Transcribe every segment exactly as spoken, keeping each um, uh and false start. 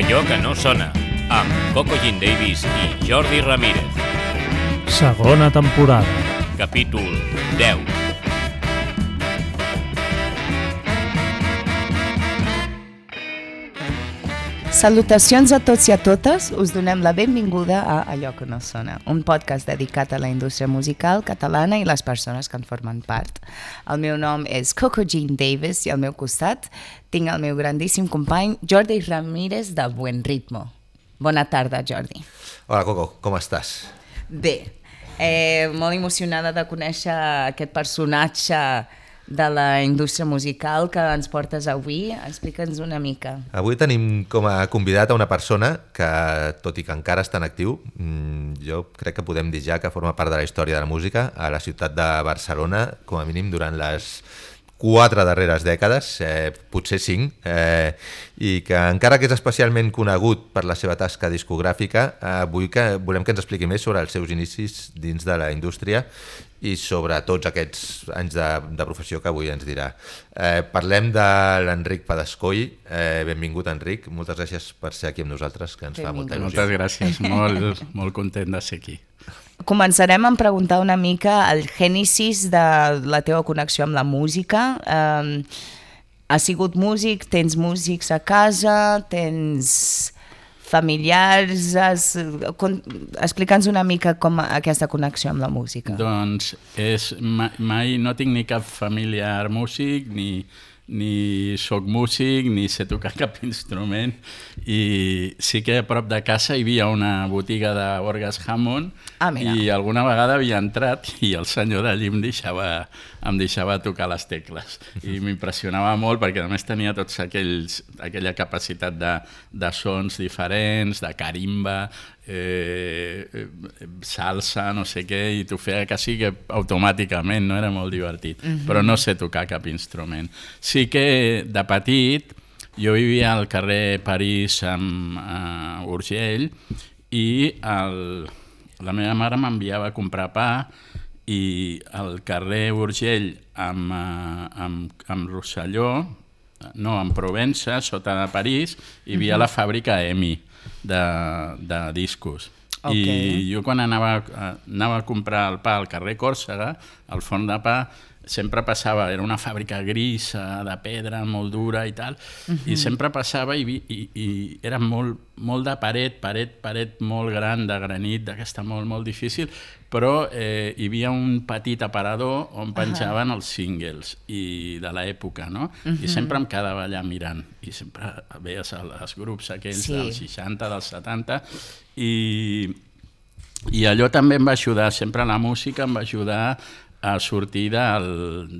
Allò que no sona, amb Coco Jean Davis i Jordi Ramírez. Segona temporada. Capítol deu. Salutacions a tots i a totes, us donem la benvinguda a Allò que no sona, un podcast dedicat a la indústria musical catalana i les persones que en formen part. El meu nom és Coco Jean Davis i al meu costat tinc el meu grandíssim company Jordi Ramírez de Buen Ritmo. Bona tarda, Jordi. Hola, Coco, com estàs? Bé, eh, molt emocionada de conèixer aquest personatge de la indústria musical que ens portes avui. Explica'ns una mica. Avui tenim com a convidat a una persona que, tot i que encara està en actiu, jo crec que podem dir ja que forma part de la història de la música a la ciutat de Barcelona, com a mínim durant les quatre darreres dècades, eh, potser cinc, eh, i que encara que és especialment conegut per la seva tasca discogràfica, eh, avui que volem que ens expliqui més sobre els seus inicis dins de la indústria i sobre tots aquests anys de, de professió que avui ens dirà. Eh, parlem de l'Enric Padascoy. Eh, benvingut, Enric. Moltes gràcies per ser aquí amb nosaltres, que ens Benvingut. fa molta il·lusió. Moltes gràcies, molt, molt content de ser aquí. Començarem a preguntar una mica el gènesis de la teva connexió amb la música. Um, has sigut músic, tens músics a casa, tens familiars... Has... Explica'ns una mica com aquesta connexió amb la música. Doncs és, mai, mai no tinc ni cap familiar músic, ni, ni soc músic, ni sé tocar cap instrument, i sí que a prop de casa hi havia una botiga d'orgues Hammond, ah, i alguna vegada havia entrat i el senyor d'allí em deixava, em deixava tocar les tecles, i m'impressionava molt perquè a més tenia tots aquells, aquella capacitat de, de sons diferents, de carimba, eh, salsa, no sé què, i t'ho feia quasi que automàticament, no? Era molt divertit, uh-huh. Però no sé tocar cap instrument. Sí que de petit jo vivia al carrer París amb uh, Urgell, i el, la meva mare m'enviava a comprar pa, i al carrer Urgell amb, uh, amb, amb Rosselló, no, en Provença, sota de París, hi havia uh-huh. la fàbrica EMI de, de discos. Okay. I jo quan anava, anava a comprar el pa al carrer Còrsega, al forn de pa, sempre passava, era una fàbrica grisa, de pedra, molt dura i tal, uh-huh. i sempre passava i, i, i era molt, molt de paret, paret, paret molt gran, de granit, d'aquesta molt, molt difícil, però eh, hi havia un petit aparador on penjaven uh-huh. els singles i de l'època, no? Uh-huh. I sempre em quedava allà mirant, i sempre veies els grups aquells sí. dels seixanta, dels setanta, i, i allò també em va ajudar, sempre la música em va ajudar a sortir del,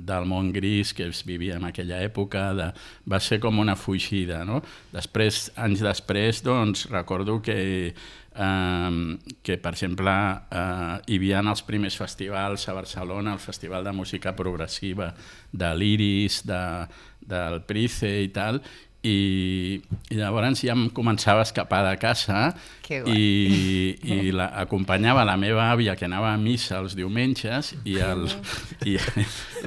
del món gris que es vivia en aquella època, de, va ser com una fugida, no? Després, anys després, doncs, recordo que, eh, que per exemple, eh, hi havia els primers festivals a Barcelona, el Festival de Música Progressiva de l'Iris, de, del Price i tal, i, i llavors ja em començava a escapar de casa i, i la, acompanyava la meva àvia que anava a missa els diumenges i, el, i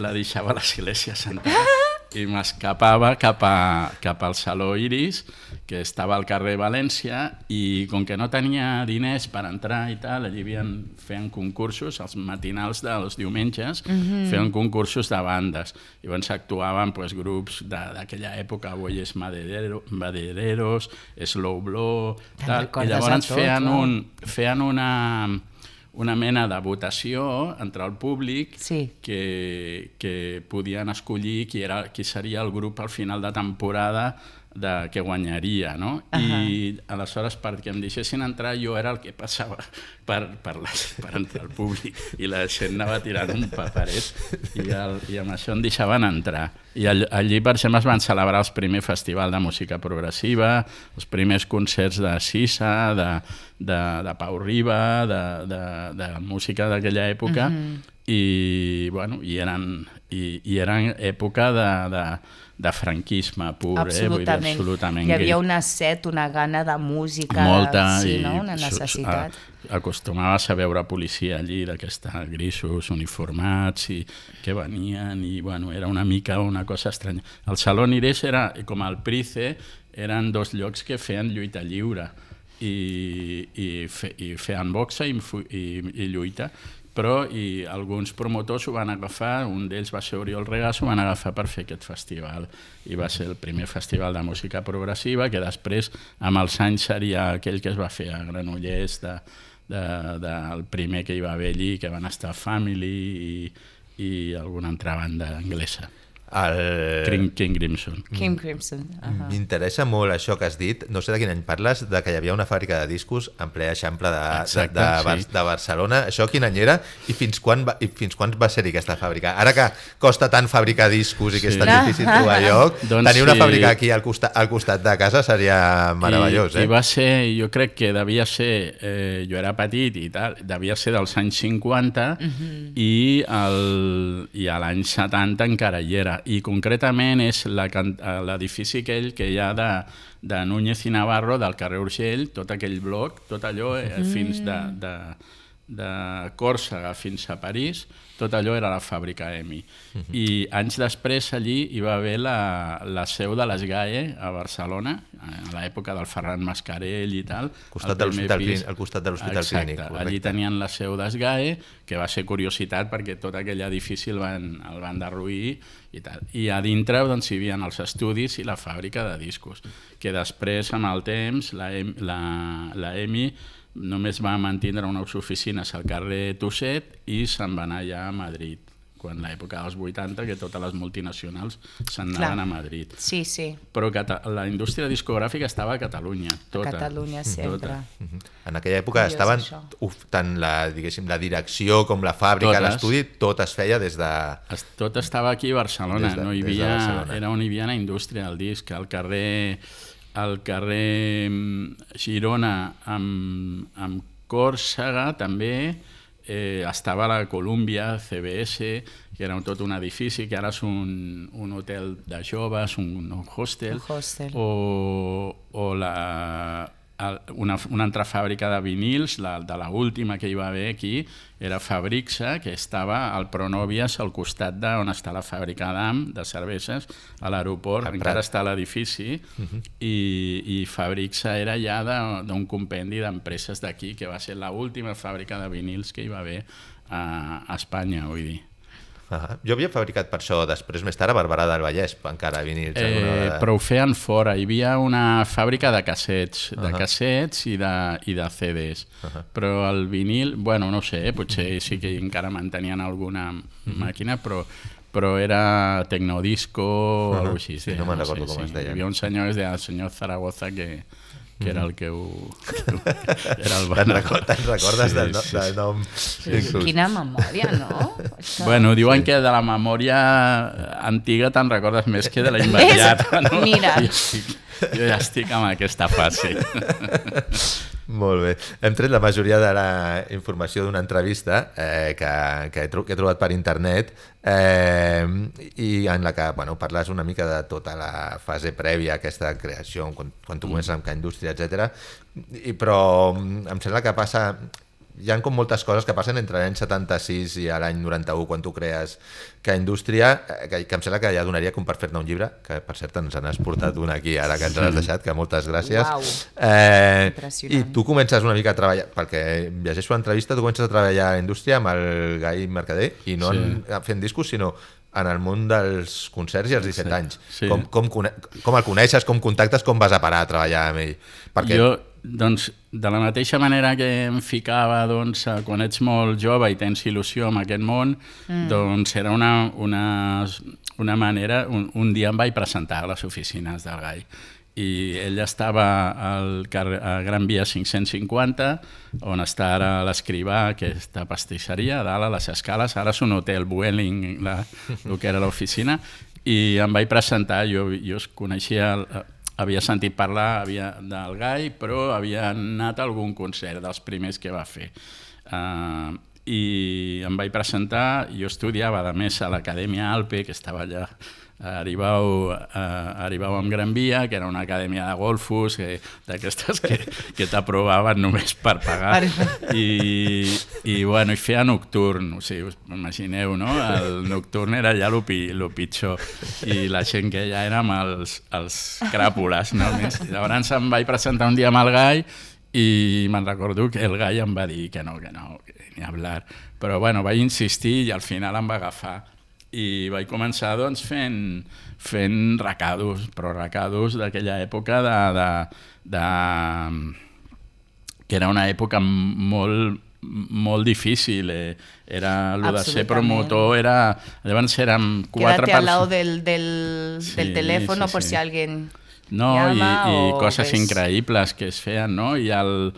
la deixava a l'església sentada i m'escapava cap, a, cap al Saló Iris, que estava al carrer València, i com que no tenia diners per entrar i tal, allí havien, feien concursos, els matinals dels diumenges, uh-huh. feien concursos de bandes. I llavors actuaven pues, grups d'aquella època, Bueyes Maderero, Madereros, Slow Blow, tal, i llavors tot, feien, no? un, feien una... una mena de votació entre el públic sí. que, que podien escollir qui, era, qui seria el grup al final de temporada de, que guanyaria, no? Uh-huh. I aleshores perquè em deixessin entrar jo era el que passava per, per, les, per entrar al públic i la gent anava tirant un paperet i, el, i amb això em deixaven entrar. I all, allí per exemple es van celebrar els primers festivals de música progressiva, els primers concerts de Sisa, de, de, de Pau Riba, de, de, de música d'aquella època, uh-huh. i, bueno, i, eren, i, i eren època de, de, de franquisme pur, eh? Vull dir, absolutament. Hi havia una set, una gana de música, molta, sí, i no? Una necessitat. Acostumaves a veure policia allí d'aquesta grisos uniformats i que venien i bueno, era una mica una cosa estranya. El Salón Irés era, com el Price, eren dos llocs que feien lluita lliure i, i, fe, i feien boxa i, i, i lluita, però i alguns promotors ho van agafar, un d'ells va ser Oriol Regàs, ho van agafar per fer aquest festival i va ser el primer festival de música progressiva que després amb els anys seria aquell que es va fer a Granollers de, de, de, el primer que hi va haver allí, que van estar Family i, i alguna altra banda anglesa. El... King, King Crimson. King Crimson. Uh-huh. M'interessa molt això que has dit, no sé de quin any parles, de que hi havia una fàbrica de discos en ple Eixample de, Exacte, de, de, sí. de Barcelona. Això quin any era i fins quan va, i fins quan va ser-hi aquesta fàbrica? Ara que costa tant fabricar discos i que sí. és tan difícil trobar lloc, doncs tenir una sí. fàbrica aquí al costat, al costat de casa seria meravellós. I, eh? i va ser, jo crec que devia ser, eh, jo era petit i tal, devia ser dels anys cinquanta uh-huh. i, el, i a l'any setanta encara hi era. I concretament és l'edifici aquell que hi ha de, de Núñez i Navarro, del carrer Urgell, tot aquell bloc, tot allò eh, mm. fins de, de, de Còrsega fins a París, tot allò era la fàbrica E M I. Mm-hmm. I anys després allí hi va haver la, la seu de l'Esgae a Barcelona, a l'època del Ferran Mascarell i tal. Costat de pis, al costat de l'Hospital Clínic. Correcte. Allí tenien la seu d'Esgae, que va ser curiositat perquè tot aquell edifici el van, el van derruir i tal. I a dintre doncs, hi havia els estudis i la fàbrica de discos, que després, amb el temps, la, la, la E M I només va mantindre unes oficines al carrer Tusset i se'n va anar allà a Madrid, quan l'època dels vuitanta, que totes les multinacionals se'n anaven a Madrid. Sí, sí. Però la indústria discogràfica estava a Catalunya, tota. A Catalunya sempre. Tota. En aquella època estaven, uf, tant la, diguéssim, la direcció com la fàbrica, l'estudi, tot es feia des de... Tot estava aquí a Barcelona, de, no hi havia, de era on hi havia la indústria del disc, al carrer... al carrer Girona amb, amb Còrsega també eh, estava la Columbia C B S, que era tot un edifici que ara és un, un hotel de joves, un, un hostel, un hostel. O, o la, una, una altra fàbrica de vinils, la, de l'última que hi va haver aquí, era Fabrixa, que estava al Pronovias, al costat d'on està la fàbrica d'Am, de cerveses, a l'aeroport, encara està l'edifici, uh-huh. i, i Fabrixa era ja d'un compendi d'empreses d'aquí, que va ser l'última fàbrica de vinils que hi va haver a, a Espanya, vull dir. Uh-huh. Jo havia fabricat per això després, més tard, a Barberà del Vallès, encara vinils. Eh, de... Però ho feien fora. Hi havia una fàbrica de cassets, uh-huh. de cassets i de, i de C Ds. Uh-huh. Però el vinil, bueno, no sé, potser sí que encara mantenien alguna uh-huh. màquina, però però era Tecnodisco o uh-huh. alguna cosa així. Sí, no me'n recordo sí, com sí. es deia. Hi havia un senyor, es deia el senyor Zaragoza, que... que era el que ho... Que ho era el Te'n recordes, te'n recordes sí, del, no, sí, del nom? Sí, sí. Quina memòria, no? Això... Bueno, diuen sí. que de la memòria antiga te'n recordes més que de la immediata. No? Mira. Jo, estic, jo ja estic en aquesta fase. Molt bé. Hem tret la majoria de la informació d'una entrevista eh, que, que, he que he trobat per internet eh, i en la que bueno, parles una mica de tota la fase prèvia a aquesta creació, quan, quan tu comences amb que indústria, etcètera. I, però em sembla que passa... Hi ha com moltes coses que passen entre l'any setanta-sis i l'any noranta-u, quan tu crees que indústria, que, que em sembla que ja donaria com per fer-ne un llibre, que per cert ens n'has portat un aquí ara que ens l'has deixat, que moltes gràcies. Uau, eh, impressionant. I tu comences una mica a treballar, perquè llegeixo l'entrevista, tu comences a treballar a la indústria amb el Gai Mercader, i no sí. en, fent discos, sinó en el món dels concerts i als disset sí. anys. Sí. Com, com, com el coneixes, com contactes, com vas a parar a treballar amb ell? Perquè... Jo, doncs, de la mateixa manera que em ficava doncs, quan ets molt jove i tens il·lusió en aquest món, mm. doncs era una, una, una manera... Un, un dia em vaig presentar a les oficines del Gai i ell estava al carrer, a Gran Via cinc-cents cinquanta, on està ara l'Escrivà, aquesta pastisseria, a dalt a les escales, ara és un hotel Vueling, la, el que era l'oficina, i em vaig presentar, jo, jo es coneixia... El, havia sentit parlar havia, del Gai, però havia anat a algun concert dels primers que va fer. Uh, i em vaig presentar. Jo estudiava, a més, a l'Acadèmia Alpe, que estava allà a Aribau, a Aribau amb Gran Via, que era una acadèmia de golfos, d'aquestes que, que t'aprovaven només per pagar. I, i, bueno, i feia nocturn, o sigui, us imagineu, no? El nocturn era ja el pitjor, i la gent que ja érem els, els cràpules, no? Llavors em vaig presentar un dia amb el Gai, i me'n recordo que el Gai em va dir que no, que no, que ni hablar. Però bueno, vaig insistir i al final em va agafar. I vaig començar doncs, fent, fent recados, però recados d'aquella època de, de, de, que era una època molt, molt difícil. Eh? Era, lo de ser promotor era... Llavors érem quatre persones... Quédate al lado del, del, sí, del teléfono sí, por sí. si alguien... No, i, i coses ves... increïbles que es feien, no? I, el,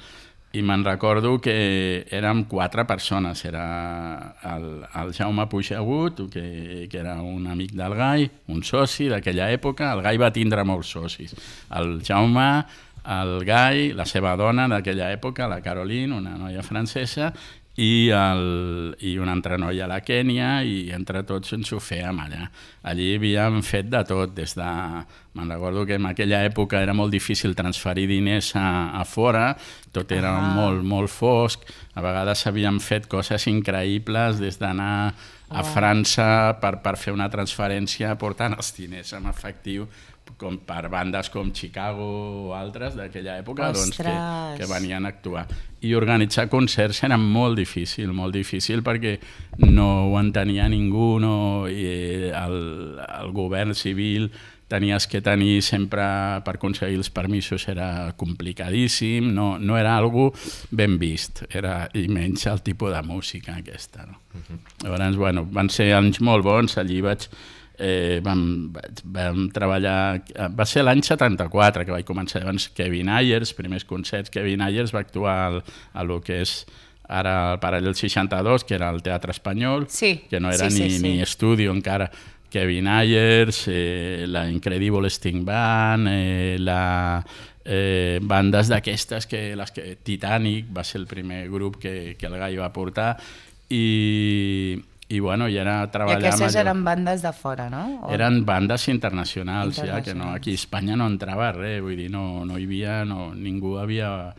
i me'n recordo que érem quatre persones. Era el, el Jaume Puigagut, que, que era un amic del Gai, un soci d'aquella època. El Gai va tindre molts socis. El Jaume, el Gai, la seva dona d'aquella època, la Caroline, una noia francesa, i, el, i una altra noia a la Kènia, i entre tots ens ho fèiem allà. Allí havíem fet de tot, des de... Me'n recordo que en aquella època era molt difícil transferir diners a, a fora, tot era ah. molt, molt fosc, a vegades havíem fet coses increïbles, des d'anar a França per, per fer una transferència portant els diners en efectiu, com per bandes com Chicago o altres d'aquella època, doncs, que, que venien a actuar. I organitzar concerts era molt difícil, molt difícil perquè no ho entenia ningú, no, i el, el govern civil tenies que tenir sempre, per aconseguir els permisos era complicadíssim, no, no era algo ben vist, era, i menys el tipus de música aquesta. No? Uh-huh. Llavors, bueno, van ser anys molt bons, allí vaig... Eh, vam, vam treballar... Va ser l'any setanta-quatre que vaig començar. Llavors, Kevin Ayers, primers concerts, Kevin Ayers va actuar al, a lo que és ara el Paral·lel seixanta-dos, que era el Teatre Espanyol, sí, que no era sí, ni, sí, sí. ni estudi encara. Kevin Ayers, eh, la Incredible Sting Band, eh, la... Eh, bandes d'aquestes, que, les que Titanic va ser el primer grup que, que el Gai va portar, i... I, bueno, i era treballar... I aquestes eren bandes de fora, no? O... Eren bandes internacionals, internacionals. Ja, que no, aquí a Espanya no entrava res, vull dir, no, no hi havia... No, ningú havia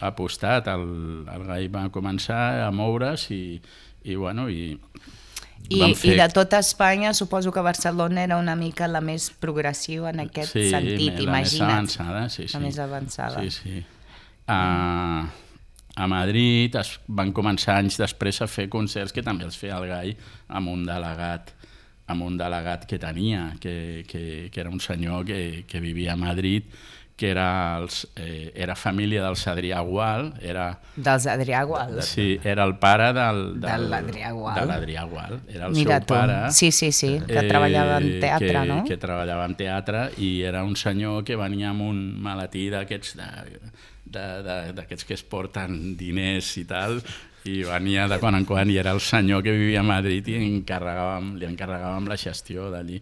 apostat. El, el Gai va començar a moure's i, i bueno, i... I, fer... I de tota Espanya, suposo que Barcelona era una mica la més progressiva en aquest sí, sentit, la imagina't. Sí, la més avançada, sí, sí. La més avançada. Sí, sí. Uh... A Madrid es van començar anys després a fer concerts que també els feia el Gai amb un delegat, amb un delegat que tenia, que, que, que era un senyor que, que vivia a Madrid, que era, els, eh, era família dels Adrià Gual. Era, dels Adrià Gual? Sí, era el pare del, del, de l'Adrià Gual. De l'Adrià Gual. Era el Mira seu tu. pare. Sí, sí, sí, que eh, treballava en teatre, que, no? Que treballava en teatre i era un senyor que venia amb un maletí d'aquests... De, d'aquests que es porten diners i tal, i venia de quan en quan, i era el senyor que vivia a Madrid i encarregàvem, li encarregàvem la gestió d'allí.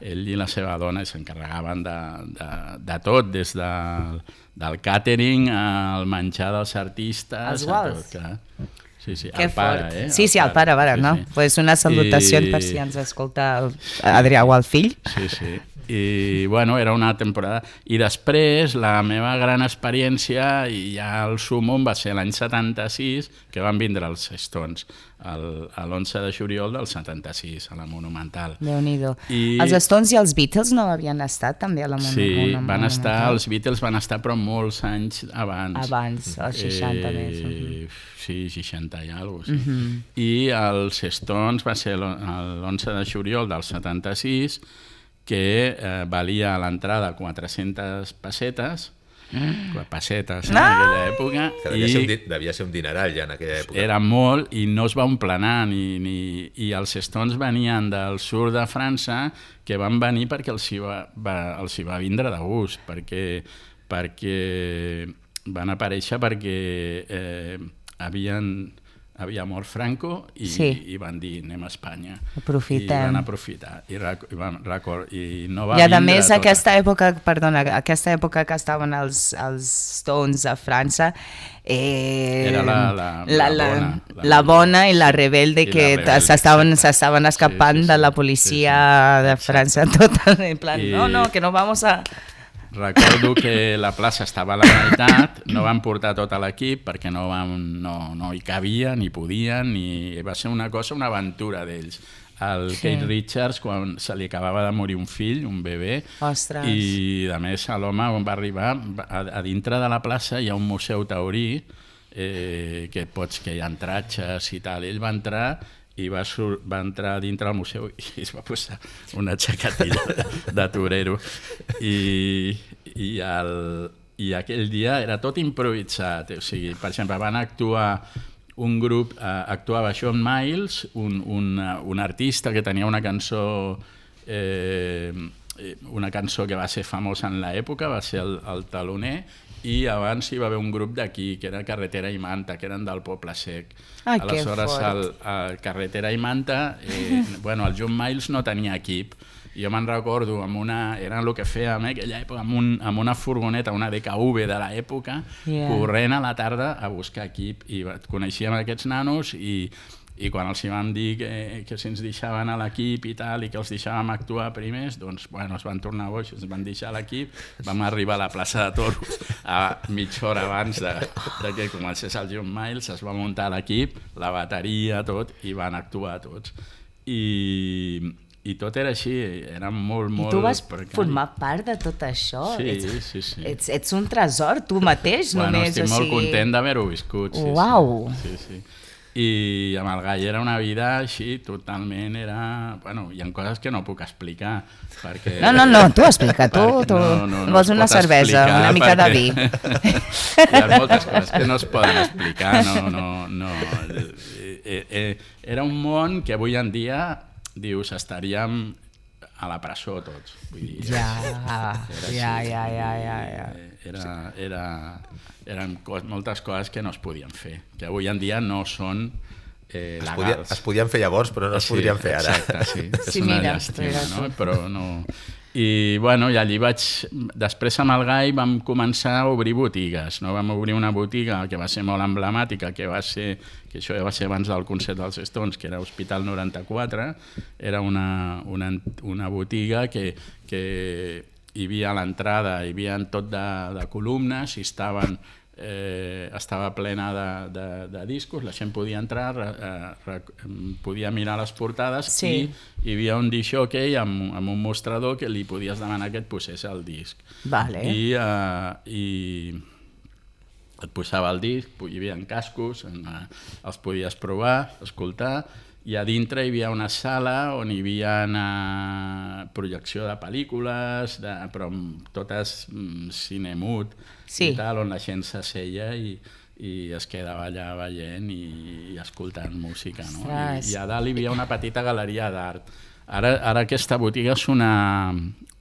Ell i la seva dona s'encarregaven de, de, de tot, des de, del càtering al menjar dels artistes... Els Guals? Tot, clar. Sí, sí, que el pare, eh? Sí, sí, el pare, el pare, sí, no? Sí. Pues una salutació I... per si ens escolta Adrià Gual fill. Sí, sí. I, bueno, era una temporada. I després, la meva gran experiència, i ja el sumum, va ser l'any setanta-sis, que van vindre els Stones, l'onze de juliol del setanta-sis, a la Monumental. Déu-n'hi-do. I... Els Stones i els Beatles no havien estat també a la Monumental? Sí, Monumental. van estar, els Beatles van estar, però molts anys abans. Abans, als seixanta eh, més. Uh-huh. Sí, seixanta i alguna cosa. Sí. Uh-huh. I els Stones va ser l'onze de juliol del setanta-sis, que eh, valia a l'entrada quatre-centes pessetes, mm. pessetes en aquella època. Que devia, i ser un, devia ser un dineral ja en aquella època. Era molt, i no es va emplenar, ni, ni, i els Stones venien del sud de França, que van venir perquè els hi va, va, els hi va vindre de gust, perquè, perquè van aparèixer perquè eh, havien... havia mort Franco i, Sí. i van dir anem a Espanya. Aprofitem. I van aprofitar. I, rec i, van record i no va I a vindre més, tota. aquesta època, perdona, aquesta època que estaven els, els Stones a França, eh, Era la- la- la, la la, bona, la la bona i la sí, rebelde i la que rebelde, s'estaven exacte. s'estaven escapant Sí, sí, de la sí, policia sí, sí. de França, tota, en plan, I- no, no, que no vamos a... Recordo que la plaça estava a la meitat, no van portar tot a l'equip perquè no, van, no, no hi cabia, ni podien, ni... va ser una cosa, una aventura d'ells. El Sí. Keith Richards, quan se li acabava de morir un fill, un bebè, Ostres. i a més l'home on va arribar, a, a dintre de la plaça hi ha un museu taurí, eh, que pots que hi ha entratges i tal. Ell va entrar i va, sur va entrar dintre del museu i es va posar una xacatilla de, de torero. I, i, el, I aquell dia era tot improvisat. O sigui, per exemple, van actuar un grup, eh, actuava Shawn Miles, un, un, un artista que tenia una cançó eh, una cançó que va ser famosa en l'època, va ser el, el Taloner, i abans hi va haver un grup d'aquí, que era Carretera i Manta, que eren del Poble Sec. Ai, que Aleshores, fort. el, el Carretera i Manta, eh, bueno, el John Miles no tenia equip. Jo me'n recordo, amb una, era el que fèiem eh, aquella època, amb, un, amb una furgoneta, una D K V de l'època, Yeah. corrent a la tarda a buscar equip. I coneixíem aquests nanos i, i quan els hi vam dir que, que si ens deixaven a l'equip i tal, i que els deixàvem actuar primers, doncs bueno, es van tornar boix, ens van deixar a l'equip, vam arribar a la plaça de Toros a mitja hora abans de, de que comencés el John Miles, es va muntar l'equip, la bateria, tot, i van actuar tots. I, i tot era així, era molt, I molt tu vas precari. formar part de tot això? Sí, ets, sí, sí. Ets, ets un tresor, tu mateix, Bueno, només. estic o molt sigui... content d'haver-ho viscut. Sí, Uau! Sí, sí, sí. I amb el Gai era una vida així, totalment era... Bueno, hi ha coses que no puc explicar, perquè... No, no, no, tu explica, tu, perquè tu. no, no, no Vols es una pot cervesa, explicar una mica de perquè vi. Hi ha moltes coses que no es poden explicar, no, no, no. Eh, eh, era un món que avui en dia, dius, estaríem a la presó tots. Vull dir, Ja, era ja, així. ja, ja, ja, ja. Era, era, eren cos, moltes coses que no es podien fer, que avui en dia no són eh, Es, podia, legals. es podien fer llavors, però no es Sí, podrien fer ara. Exacte, sí. És Sí, una mira, llàstima, mira no? tu. Però no... I, bueno, i allí vaig... Després amb el Gai vam començar a obrir botigues, no? Vam obrir una botiga que va ser molt emblemàtica, que va ser... que això va ser abans del concert dels Stones, que era Hospital noranta-quatre, era una, una, una botiga que, que hi havia a l'entrada, hi havia tot de, de columnes, i estaven... Eh, estava plena de, de, de discos, la gent podia entrar, eh, re, podia mirar les portades, Sí. i hi havia un disc-jockey amb, amb un mostrador que li podies demanar que et posés el disc. Vale. I, eh, i et posava el disc, hi havia cascos, en, eh, els podies provar, escoltar, i a dintre hi havia una sala on hi havia eh, projecció de pel·lícules, de, però totes mm, cinemut, Sí. i tal, on la gent s'asseia i, i es quedava allà veient i, i escoltant música. No? I, Ostres. I a dalt hi havia una petita galeria d'art. Ara, ara aquesta botiga és una,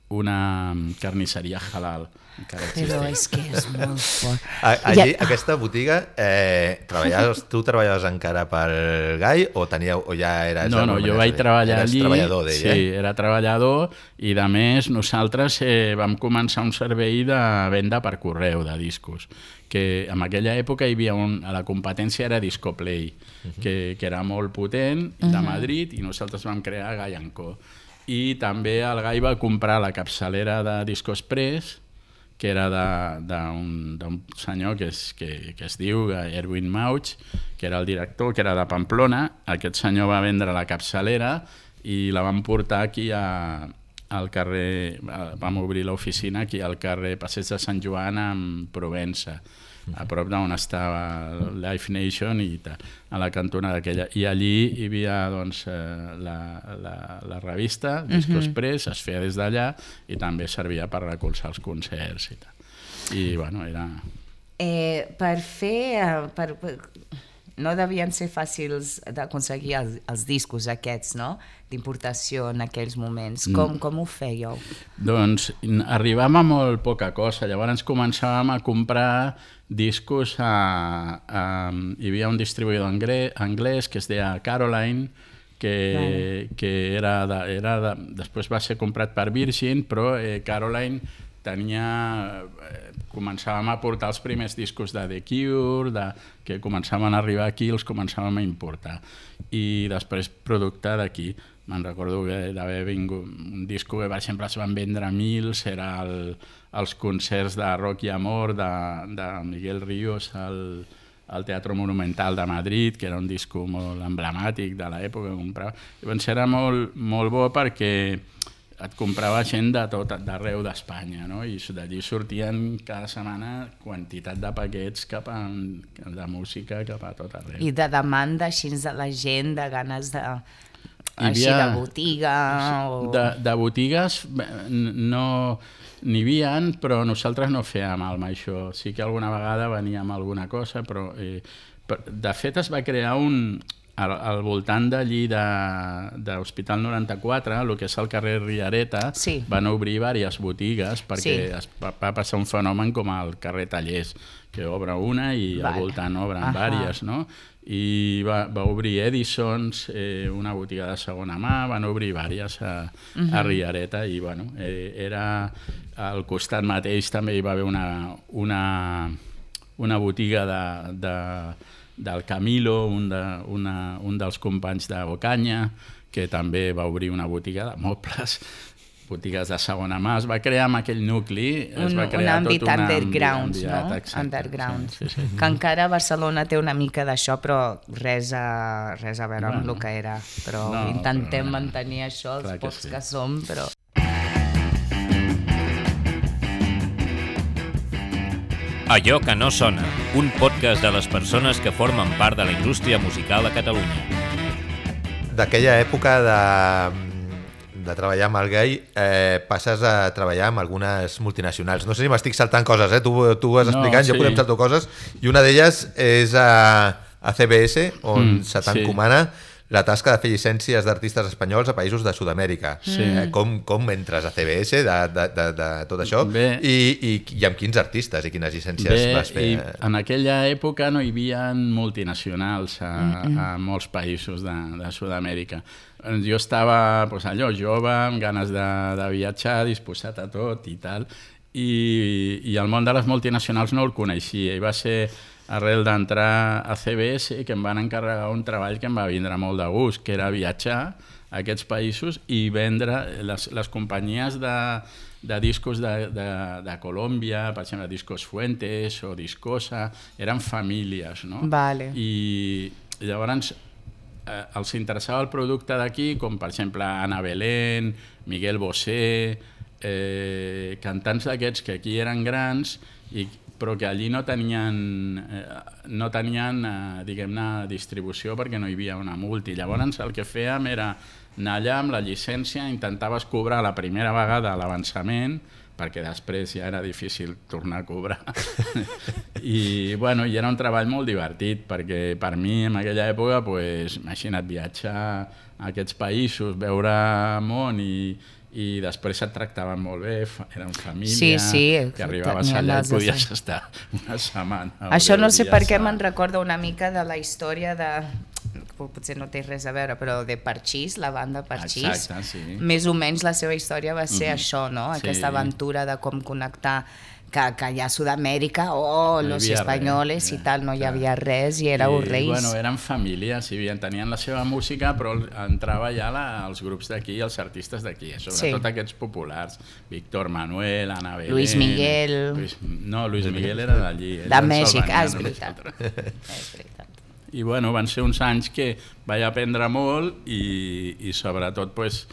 una carnisseria halal. Encara Però existeix. és que és molt fort. A, allí, Ja- aquesta botiga, eh, treballaves, tu treballaves encara pel Gai o, teníeu, o ja eres... No, no, jo vaig treballar eres allí, treballador d'ella, sí, eh? era treballador, i de més nosaltres eh, vam començar un servei de venda per correu de discos, que en aquella època hi havia un, a la competència era Discoplay, uh -huh. que, que era molt potent, de Uh -huh. Madrid, i nosaltres vam crear Gai and Co. I també el Gai va comprar la capçalera de Disco Express, que era d'un senyor que es, que, que es diu Erwin Mauch, que era el director, que era de Pamplona. Aquest senyor va vendre la capçalera i la vam portar aquí a, al carrer, vam obrir l'oficina aquí al carrer Passeig de Sant Joan amb Provença, a prop d'on estava Live Nation i tal, a la cantonada aquella. I allí hi havia doncs, la, la, la revista Disco Mhm. Express, es feia des d'allà i també servia per recolzar els concerts i tal. I bueno, era... Eh, per fer... eh, Per, per, no devien ser fàcils d'aconseguir els, els discos aquests, no? D'importació en aquells moments. Com, com ho fèieu? Doncs arribàvem a molt poca cosa, llavors començàvem a comprar discos a... a hi havia un distribuïdor anglès que es deia Caroline, que, que era, de, era de, després va ser comprat per Virgin, però eh, Caroline tenia... Eh, començàvem a portar els primers discos de The Cure, de, que començaven a arribar aquí, els començàvem a importar. I després producte d'aquí. Me'n recordo que d'haver vingut un disco que, per exemple, es van vendre mils, era el, els concerts de Rock i Amor de, de Miguel Ríos al, al Teatro Monumental de Madrid, que era un disco molt emblemàtic de l'època que comprava. Llavors era molt, molt bo perquè et comprava gent de tot, d'arreu d'Espanya, no? I d'allí sortien cada setmana quantitat de paquets cap a, de música cap a tot arreu. I de demanda així de la gent, de ganes de... així de botiga... O... De, de botigues no n'hi havia, però nosaltres no fèiem amb això. Sí que alguna vegada veníem alguna cosa, però eh, de fet es va crear un... Al, al voltant d'allí de, de l'Hospital noranta-quatre, el que és el carrer Riareta, sí. Van obrir diverses botigues perquè sí. Es va, va passar un fenomen com el carrer Tallers, que obre una i vale. Al voltant obren diverses, no? I va, va obrir Edisons, eh, una botiga de segona mà, van obrir diverses a, uh-huh. a Riareta i bueno, eh, era al costat mateix també hi va haver una, una, una botiga de... de del Camilo, un, de, una, un dels companys de Ocaña, que també va obrir una botiga de mobles, botigues de segona mà. Es va crear amb aquell nucli, es un, va crear un tot un underground, no? Exacte, underground. Sí, sí, sí. Que encara Barcelona té una mica d'això, però res a, res a veure bueno, amb el que era. Però no, intentem però, mantenir això, els pocs que, sí. que som, però... Allò que no sona, un podcast de les persones que formen part de la indústria musical a Catalunya. D'aquella època de, de treballar amb el Gai, eh, passes a treballar amb algunes multinacionals. No sé si m'estic saltant coses, eh? tu, tu vas explicant, no, sí. Jo podem saltar coses, i una d'elles és a, a C B S, on mm, se t'encomana sí. la tasca de fer llicències d'artistes espanyols a països de Sud-amèrica. Sí. Eh, com, com entres a C B S de, de, de, de tot això I, i, i amb quins artistes i quines llicències Bé, vas fer? En aquella època no hi havia multinacionals a, mm-hmm. a molts països de, de Sud-amèrica. Jo estava pues, allò jove, amb ganes de, de viatjar, disposat a tot i tal, i, i el món de les multinacionals no el coneixia, i va ser arrel d'entrar a C B S que em van encarregar un treball que em va vindre molt de gust, que era viatjar a aquests països i vendre les, les companyies de, de discos de, de, de Colòmbia, per exemple, Discos Fuentes o Discosa, eren famílies, no? Vale. I llavors eh, els interessava el producte d'aquí, com per exemple Ana Belén, Miguel Bosé, eh, cantants d'aquests que aquí eren grans i però que allí no tenien, eh, no tenien eh, diguem-ne, distribució perquè no hi havia una multi. Llavors el que fèiem era anar allà amb la llicència, intentaves cobrar la primera vegada l'avançament, perquè després ja era difícil tornar a cobrar. I, bueno, i era un treball molt divertit, perquè per mi en aquella època, pues, imagina't, viatjar a aquests països, veure món i i després et tractaven molt bé, eren família, sí, sí, que arribaves allà i podies estar una setmana. Això no sé per què me'n recorda una mica de la història de, potser no té res a veure, però de Parchís, la banda Parchís. Exacte, sí. Més o menys la seva història va ser mm-hmm. això, no? Aquesta sí. aventura de com connectar que, que allà a Sud-amèrica, oh, no los espanyoles res, i tal, no hi havia res i éreu I, reis. Bueno, eren famílies, i tenien la seva música, però entrava ja la, els grups d'aquí, els artistes d'aquí, sobretot sí. aquests populars, Víctor Manuel, Ana Belén... Luis Miguel... Luis, no, Luis Miguel era d'allí. De Mèxic, ah, és veritat. és veritat. I bueno, van ser uns anys que vaig aprendre molt i, i sobretot pues,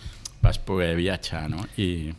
vas poder viatjar, no? I...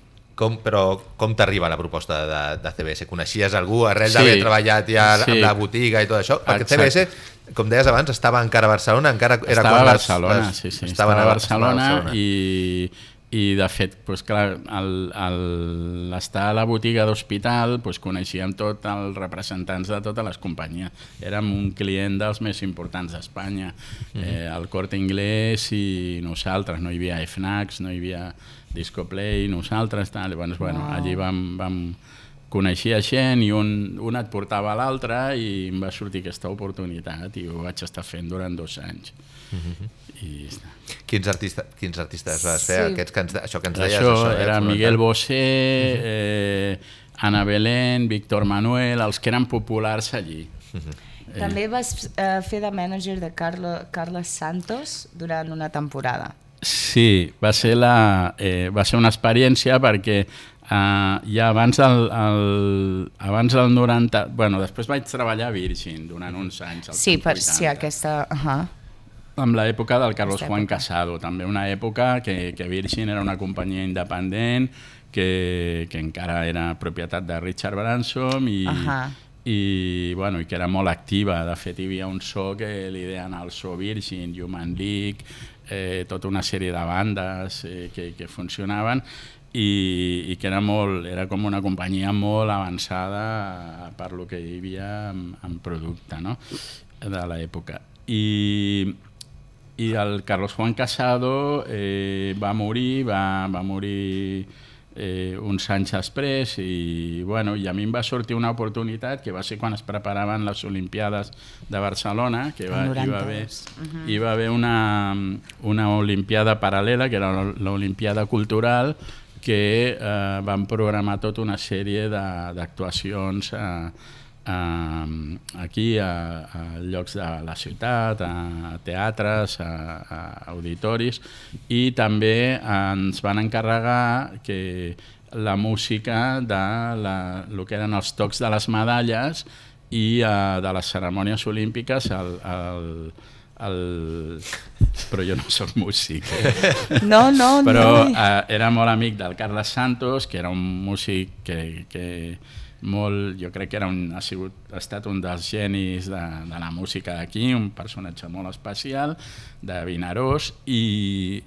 Com, però com t'arriba la proposta de, de C B S? Coneixies algú arrel sí, d'haver treballat ja sí. amb la botiga i tot això? Perquè Exacte. C B S, com deies abans, estava encara a Barcelona, encara era estava quan a Barcelona, les, sí, sí. Estaven estava a Barcelona, a Barcelona i, I, de fet, doncs, clar, al, al estar a la botiga d'hospital doncs, coneixíem tots els representants de totes les companyies. Érem un client dels més importants d'Espanya. Mm-hmm. eh, el Corte Inglés i nosaltres. No hi havia Fnacs, no hi havia Discoplay, nosaltres. Tal. Llavors, bueno, wow. allí vam, vam coneixia gent i un, un et portava a l'altre i em va sortir aquesta oportunitat i ho vaig estar fent durant dos anys. Mm-hmm. I quins, artista, quins artistes vas fer? Sí. Aquests que ens, això que ens deies? Això, això era Miguel Bosé, mm-hmm. eh, Ana Belén, Víctor Manuel, els que eren populars allí. Mm-hmm. eh. També vas eh, fer de mànager de Carlo, Carles Santos durant una temporada. Sí, va ser, la, eh, va ser una experiència perquè uh, ja abans del, el, abans del noranta... Bueno, després vaig treballar a Virgin durant uns anys. Sí, per si sí, aquesta... Uh-huh. Amb l'època del Carlos Juan Casado, també una època que, que Virgin era una companyia independent, que, que encara era propietat de Richard Branson i, uh-huh. i, bueno, i que era molt activa. De fet, hi havia un so que li deien el so Virgin, Human League, eh, tota una sèrie de bandes eh, que, que funcionaven i, i que era, molt, era com una companyia molt avançada per lo que hi havia en, en producte, no? De l'època. I... I el Carlos Juan Casado eh, va morir, va, va morir eh, uns anys després i, bueno, i a mi em va sortir una oportunitat que va ser quan es preparaven les Olimpiades de Barcelona, que va, hi, va haver, uh-huh. hi va haver una, una Olimpiada paral·lela, que era l'Olimpiada Cultural, que eh, van programar tota una sèrie d'actuacions eh, Uh, aquí a, a llocs de la ciutat, a teatres, a, a auditoris, i també ens van encarregar que la música de la, el que eren els tocs de les medalles i uh, de les cerimònies olímpiques el, el, el... però jo no soc músic eh? no, no, però no. Uh, era molt amic del Carles Santos, que era un músic que, que molt, jo crec que era un, ha, sigut, ha estat un dels genis de, de la música d'aquí, un personatge molt especial de Vinaròs, i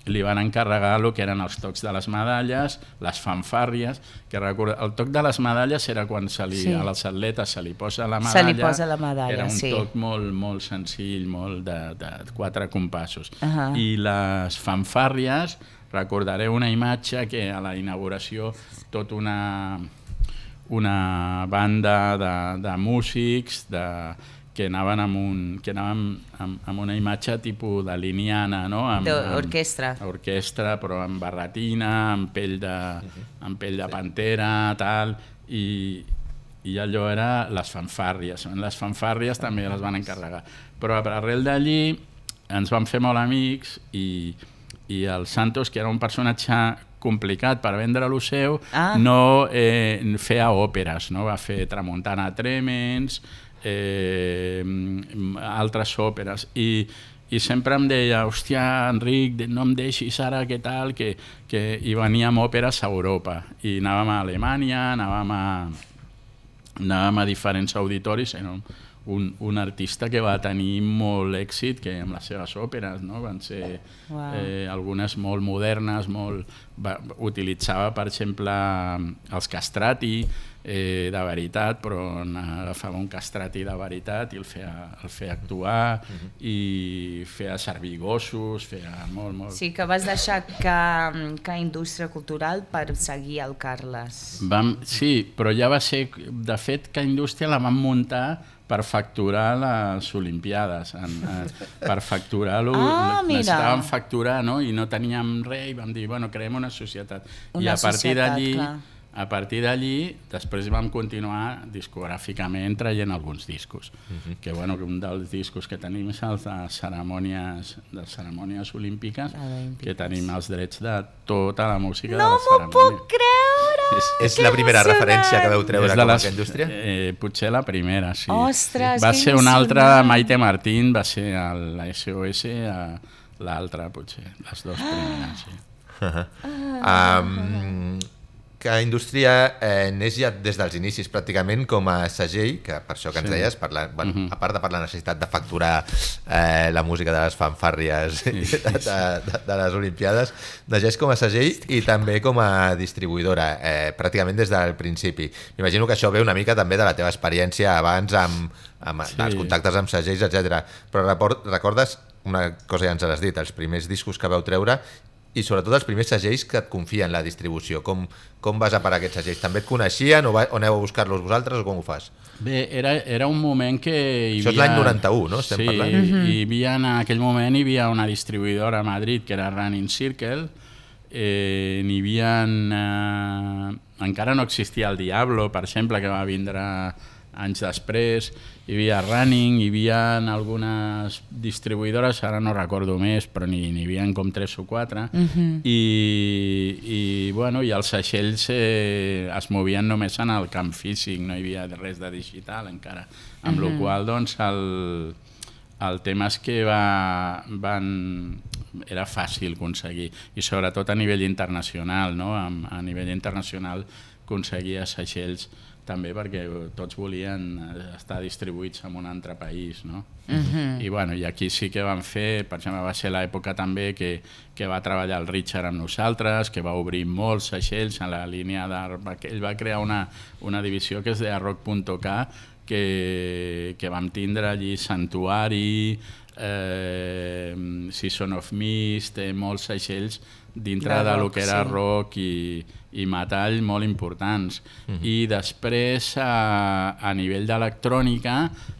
li van encarregar el que eren els tocs de les medalles, les fanfàrries, que recorda, el toc de les medalles era quan se li, sí. a les atletes se li posa la medalla, se li posa la medalla, era un sí. toc molt, molt senzill, molt de, de quatre compassos. Uh-huh. I les fanfàrries, recordaré una imatge que a la inauguració tot una... una banda de, de músics de, que anaven amb, un, que anaven amb, amb una imatge tipus de liniana, no? D'orquestra. Orquestra, però amb barretina, amb pell de, amb pell de pantera, tal, i, i allò era les fanfàrries. Les fanfàrries també les van encarregar. Però arrel d'allí ens vam fer molt amics i, i el Santos, que era un personatge complicat per vendre lo seu, ah. no eh, feia òperes, no? Va fer Tramuntana Tremens, eh, altres òperes, i, i sempre em deia, hòstia, Enric, no em deixis ara, què tal, que, que hi veníem òperes a Europa, i anàvem a Alemanya, anàvem a, anàvem a diferents auditoris, era un, un, un artista que va tenir molt èxit que amb les seves òperes, no? Van ser wow. eh, algunes molt modernes, molt... Va, utilitzava, per exemple, els castrati eh, de veritat, però agafava un castrati de veritat i el feia, el feia actuar uh-huh. i feia servir gossos, feia molt, molt... Sí, que vas deixar que, que indústria cultural per seguir el Carles. Vam, sí, però ja va ser... De fet, que indústria la vam muntar per facturar les Olimpiades, en, eh, per facturar-lo, ah, necessitàvem facturar, no? I no teníem res, i vam dir, bueno, creem una societat. Una I a partir d'allí, a partir d'allí, després vam continuar discogràficament traient alguns discos. Uh-huh. Que, bueno, que un dels discos que tenim és els de cerimònies, de cerimònies olímpiques, que tenim els drets de tota la música no de la cerimònia. No m'ho puc creure! És, és la primera referència que veu treure com les, a indústria? Eh, potser la primera, sí. Ostres, va ser una altra, Maite Martín, va ser la S O S, l'altra potser, les dues primeres, sí. Uh-huh. um, que Indústria eh, neix ja des dels inicis pràcticament com a segell, que per això que ens Sí. deies, per la, bueno, Mhm. a part de per la necessitat de facturar eh, la música de les fanfàrries Sí, sí, de, de, de les Olimpiades, neix com a segell i també com a distribuïdora, eh, pràcticament des del principi. M'imagino que això ve una mica també de la teva experiència abans amb, amb Sí. els contactes amb segells, etcètera. Però recordes una cosa, ja ens has dit, els primers discos que vau treure i sobretot els primers segells que et confien la distribució. Com, com vas a parar aquests segells? També et coneixien o, va, o aneu a buscar-los vosaltres o com ho fas? Bé, era, era un moment que hi Això és havia... l'any noranta-u, no? Estem sí, parlant? Mm-hmm. hi havia, en aquell moment hi havia una distribuïdora a Madrid que era Running Circle, eh, n'hi havia... Eh, encara no existia el Diablo, per exemple, que va vindre anys després, hi havia Running, hi havia algunes distribuïdores, ara no recordo més, però n'hi havia com tres o quatre, Mhm. i, i, bueno, i els segells eh, es movien només en el camp físic, no hi havia res de digital encara, amb la qual doncs el, el tema és que va, van, era fàcil aconseguir, i sobretot a nivell internacional, no? a, a nivell internacional aconseguia segells també perquè tots volien estar distribuïts en un altre país, no? Uh-huh. I, bueno, i aquí sí que van fer, per exemple, va ser l'època també que, que va treballar el Richard amb nosaltres, que va obrir molts segells en la línia de... Ell va crear una, una divisió que és de rock punt k, que, que vam tindre allí Santuari, eh, Season of Mist, eh, molts segells dintre de, de lo que era sí. rock i, i metall molt importants. Uh-huh. I després, a, a nivell d'electrònica,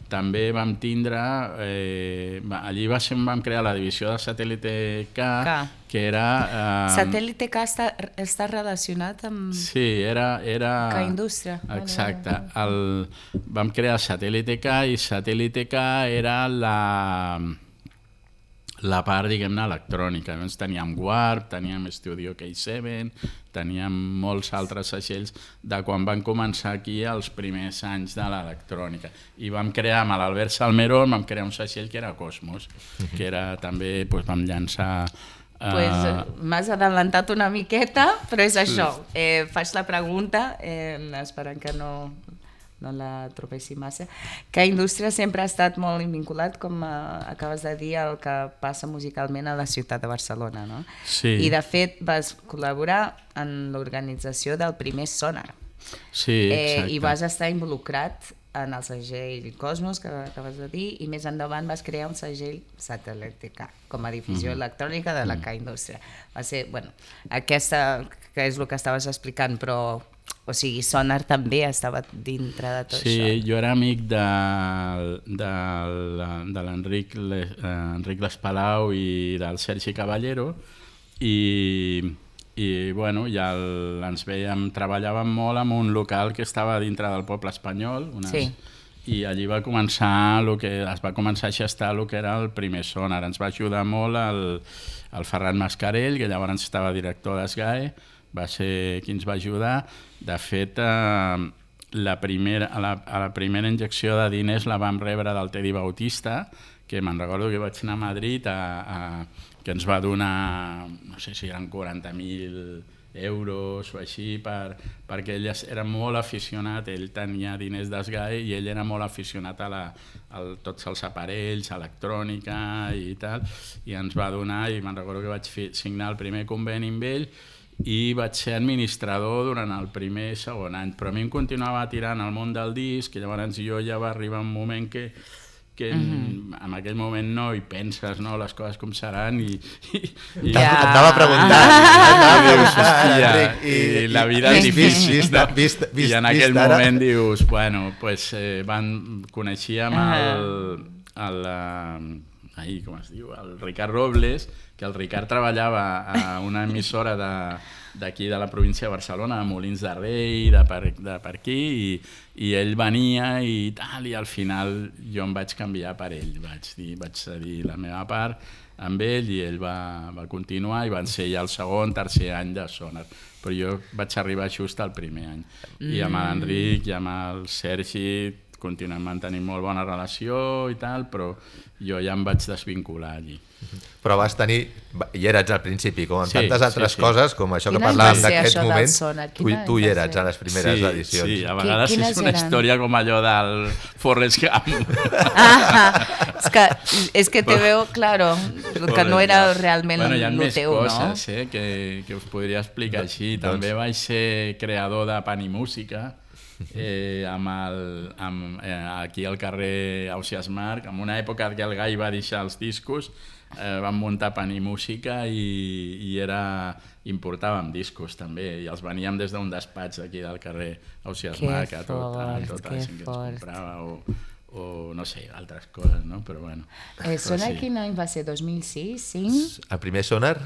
també vam tindre... Eh, allí va ser on vam crear la divisió de Satèl·lite K, K. que era... Eh, Satèl·lite K està, està relacionat amb... Sí, era... era K Indústria. Exacte. El, vam crear Satèl·lite K i Satèl·lite K era la... la part, diguem-ne, electrònica. Llavors teníem Warp, teníem Studio K set, teníem molts altres segells de quan van començar aquí els primers anys de l'electrònica. I vam crear, amb l'Albert Salmeró, vam crear un segell que era Cosmos, que era també, doncs, vam llançar... Uh... Pues m'has adelantat una miqueta, però és això. Eh, faig la pregunta, eh, esperant que no... no la tropessi massa, que la indústria sempre ha estat molt vinculat, com uh, acabes de dir, el que passa musicalment a la ciutat de Barcelona, no? Sí. I de fet vas col·laborar en l'organització del primer Sonar. Sí, exacte. Eh, I vas estar involucrat en el segell Cosmos, que acabes de dir, i més endavant vas crear un segell Satèl·lite K, com a difusió mm-hmm. electrònica de la K Indústria. Va ser, bueno, aquesta, que és el que estaves explicant, però... O sigui, Sonar també estava dintre de tot sí, això. Sí, jo era amic de, de, de l'Enric Enric Lespalau i del Sergi Caballero i, i bueno, ja el, ens veiem, treballàvem molt en un local que estava dintre del poble espanyol, unes, sí. i allí va començar lo que, es va començar a gestar el que era el primer Sonar. Ens va ajudar molt el, el Ferran Mascarell, que llavors estava director d'Esgae, va ser qui ens va ajudar. De fet, eh, la primera, a, la, a la primera injecció de diners la vam rebre del Teddy Bautista, que me'n recordo que vaig anar a Madrid, a, a, que ens va donar, no sé si eren quaranta mil euros o així, per, perquè ell era molt aficionat, ell tenia diners d'Esgae i ell era molt aficionat a, la, a tots els aparells, electrònica i tal, i ens va donar, i me'n recordo que vaig fi, signar el primer conveni amb ell, i vaig ser administrador durant el primer i segon any, però a mi em continuava tirant al món del disc, i llavors jo ja va arribar un moment que, que mm-hmm. en, en aquell moment no hi penses, no, les coses com seran, i... i, i ja. Et anava preguntant, Enric, i, i la vida és difícil, vist, no? vist, vist, i en aquell vist moment dius, bueno, pues, eh, van, coneixíem el... el, el ahí, com es diu, el Ricard Robles, que el Ricard treballava a una emissora d'aquí de, de la província de Barcelona, de Molins de Rei, de per, de per aquí, i, i ell venia i tal, i al final jo em vaig canviar per ell, vaig, dir, vaig cedir la meva part amb ell i ell va, va continuar i van ser ja el segon, tercer any de Sonar. Però jo vaig arribar just al primer any. Mm. I amb l'Enric i amb el Sergi continuem mantenint molt bona relació i tal, però jo ja em vaig desvincular allí. Però vas tenir, hi eres al principi, com en Sí, tantes altres sí, sí. coses, com això que Quin any parlàvem va ser d'aquests això del moments, Sonar? tu, Quin any tu hi va eres ser? a les primeres sí, edicions. Sí, a vegades Quines és una eren? història com allò del Forrest Gump. Ah, és que, és que te veu, claro, que no era realment bueno, hi ha el més teu, coses no? eh, que, que us podria explicar així. Doncs- També vaig ser creador de Pan i Música, eh, amb el, amb, eh, aquí al carrer Ausiàs Marc, en una època que el Gai va deixar els discos, eh, vam muntar Pan i Música i, i era, importàvem discos també, i els veníem des d'un despatx d'aquí del carrer Ausiàs Que Marc a tot, a fort, tota que la gent que ens fort. comprava o, o no sé, altres coses, no? Però bueno. Eh, Sonar sí. quin any va ser? dos mil sis? cinc? El primer Sonar,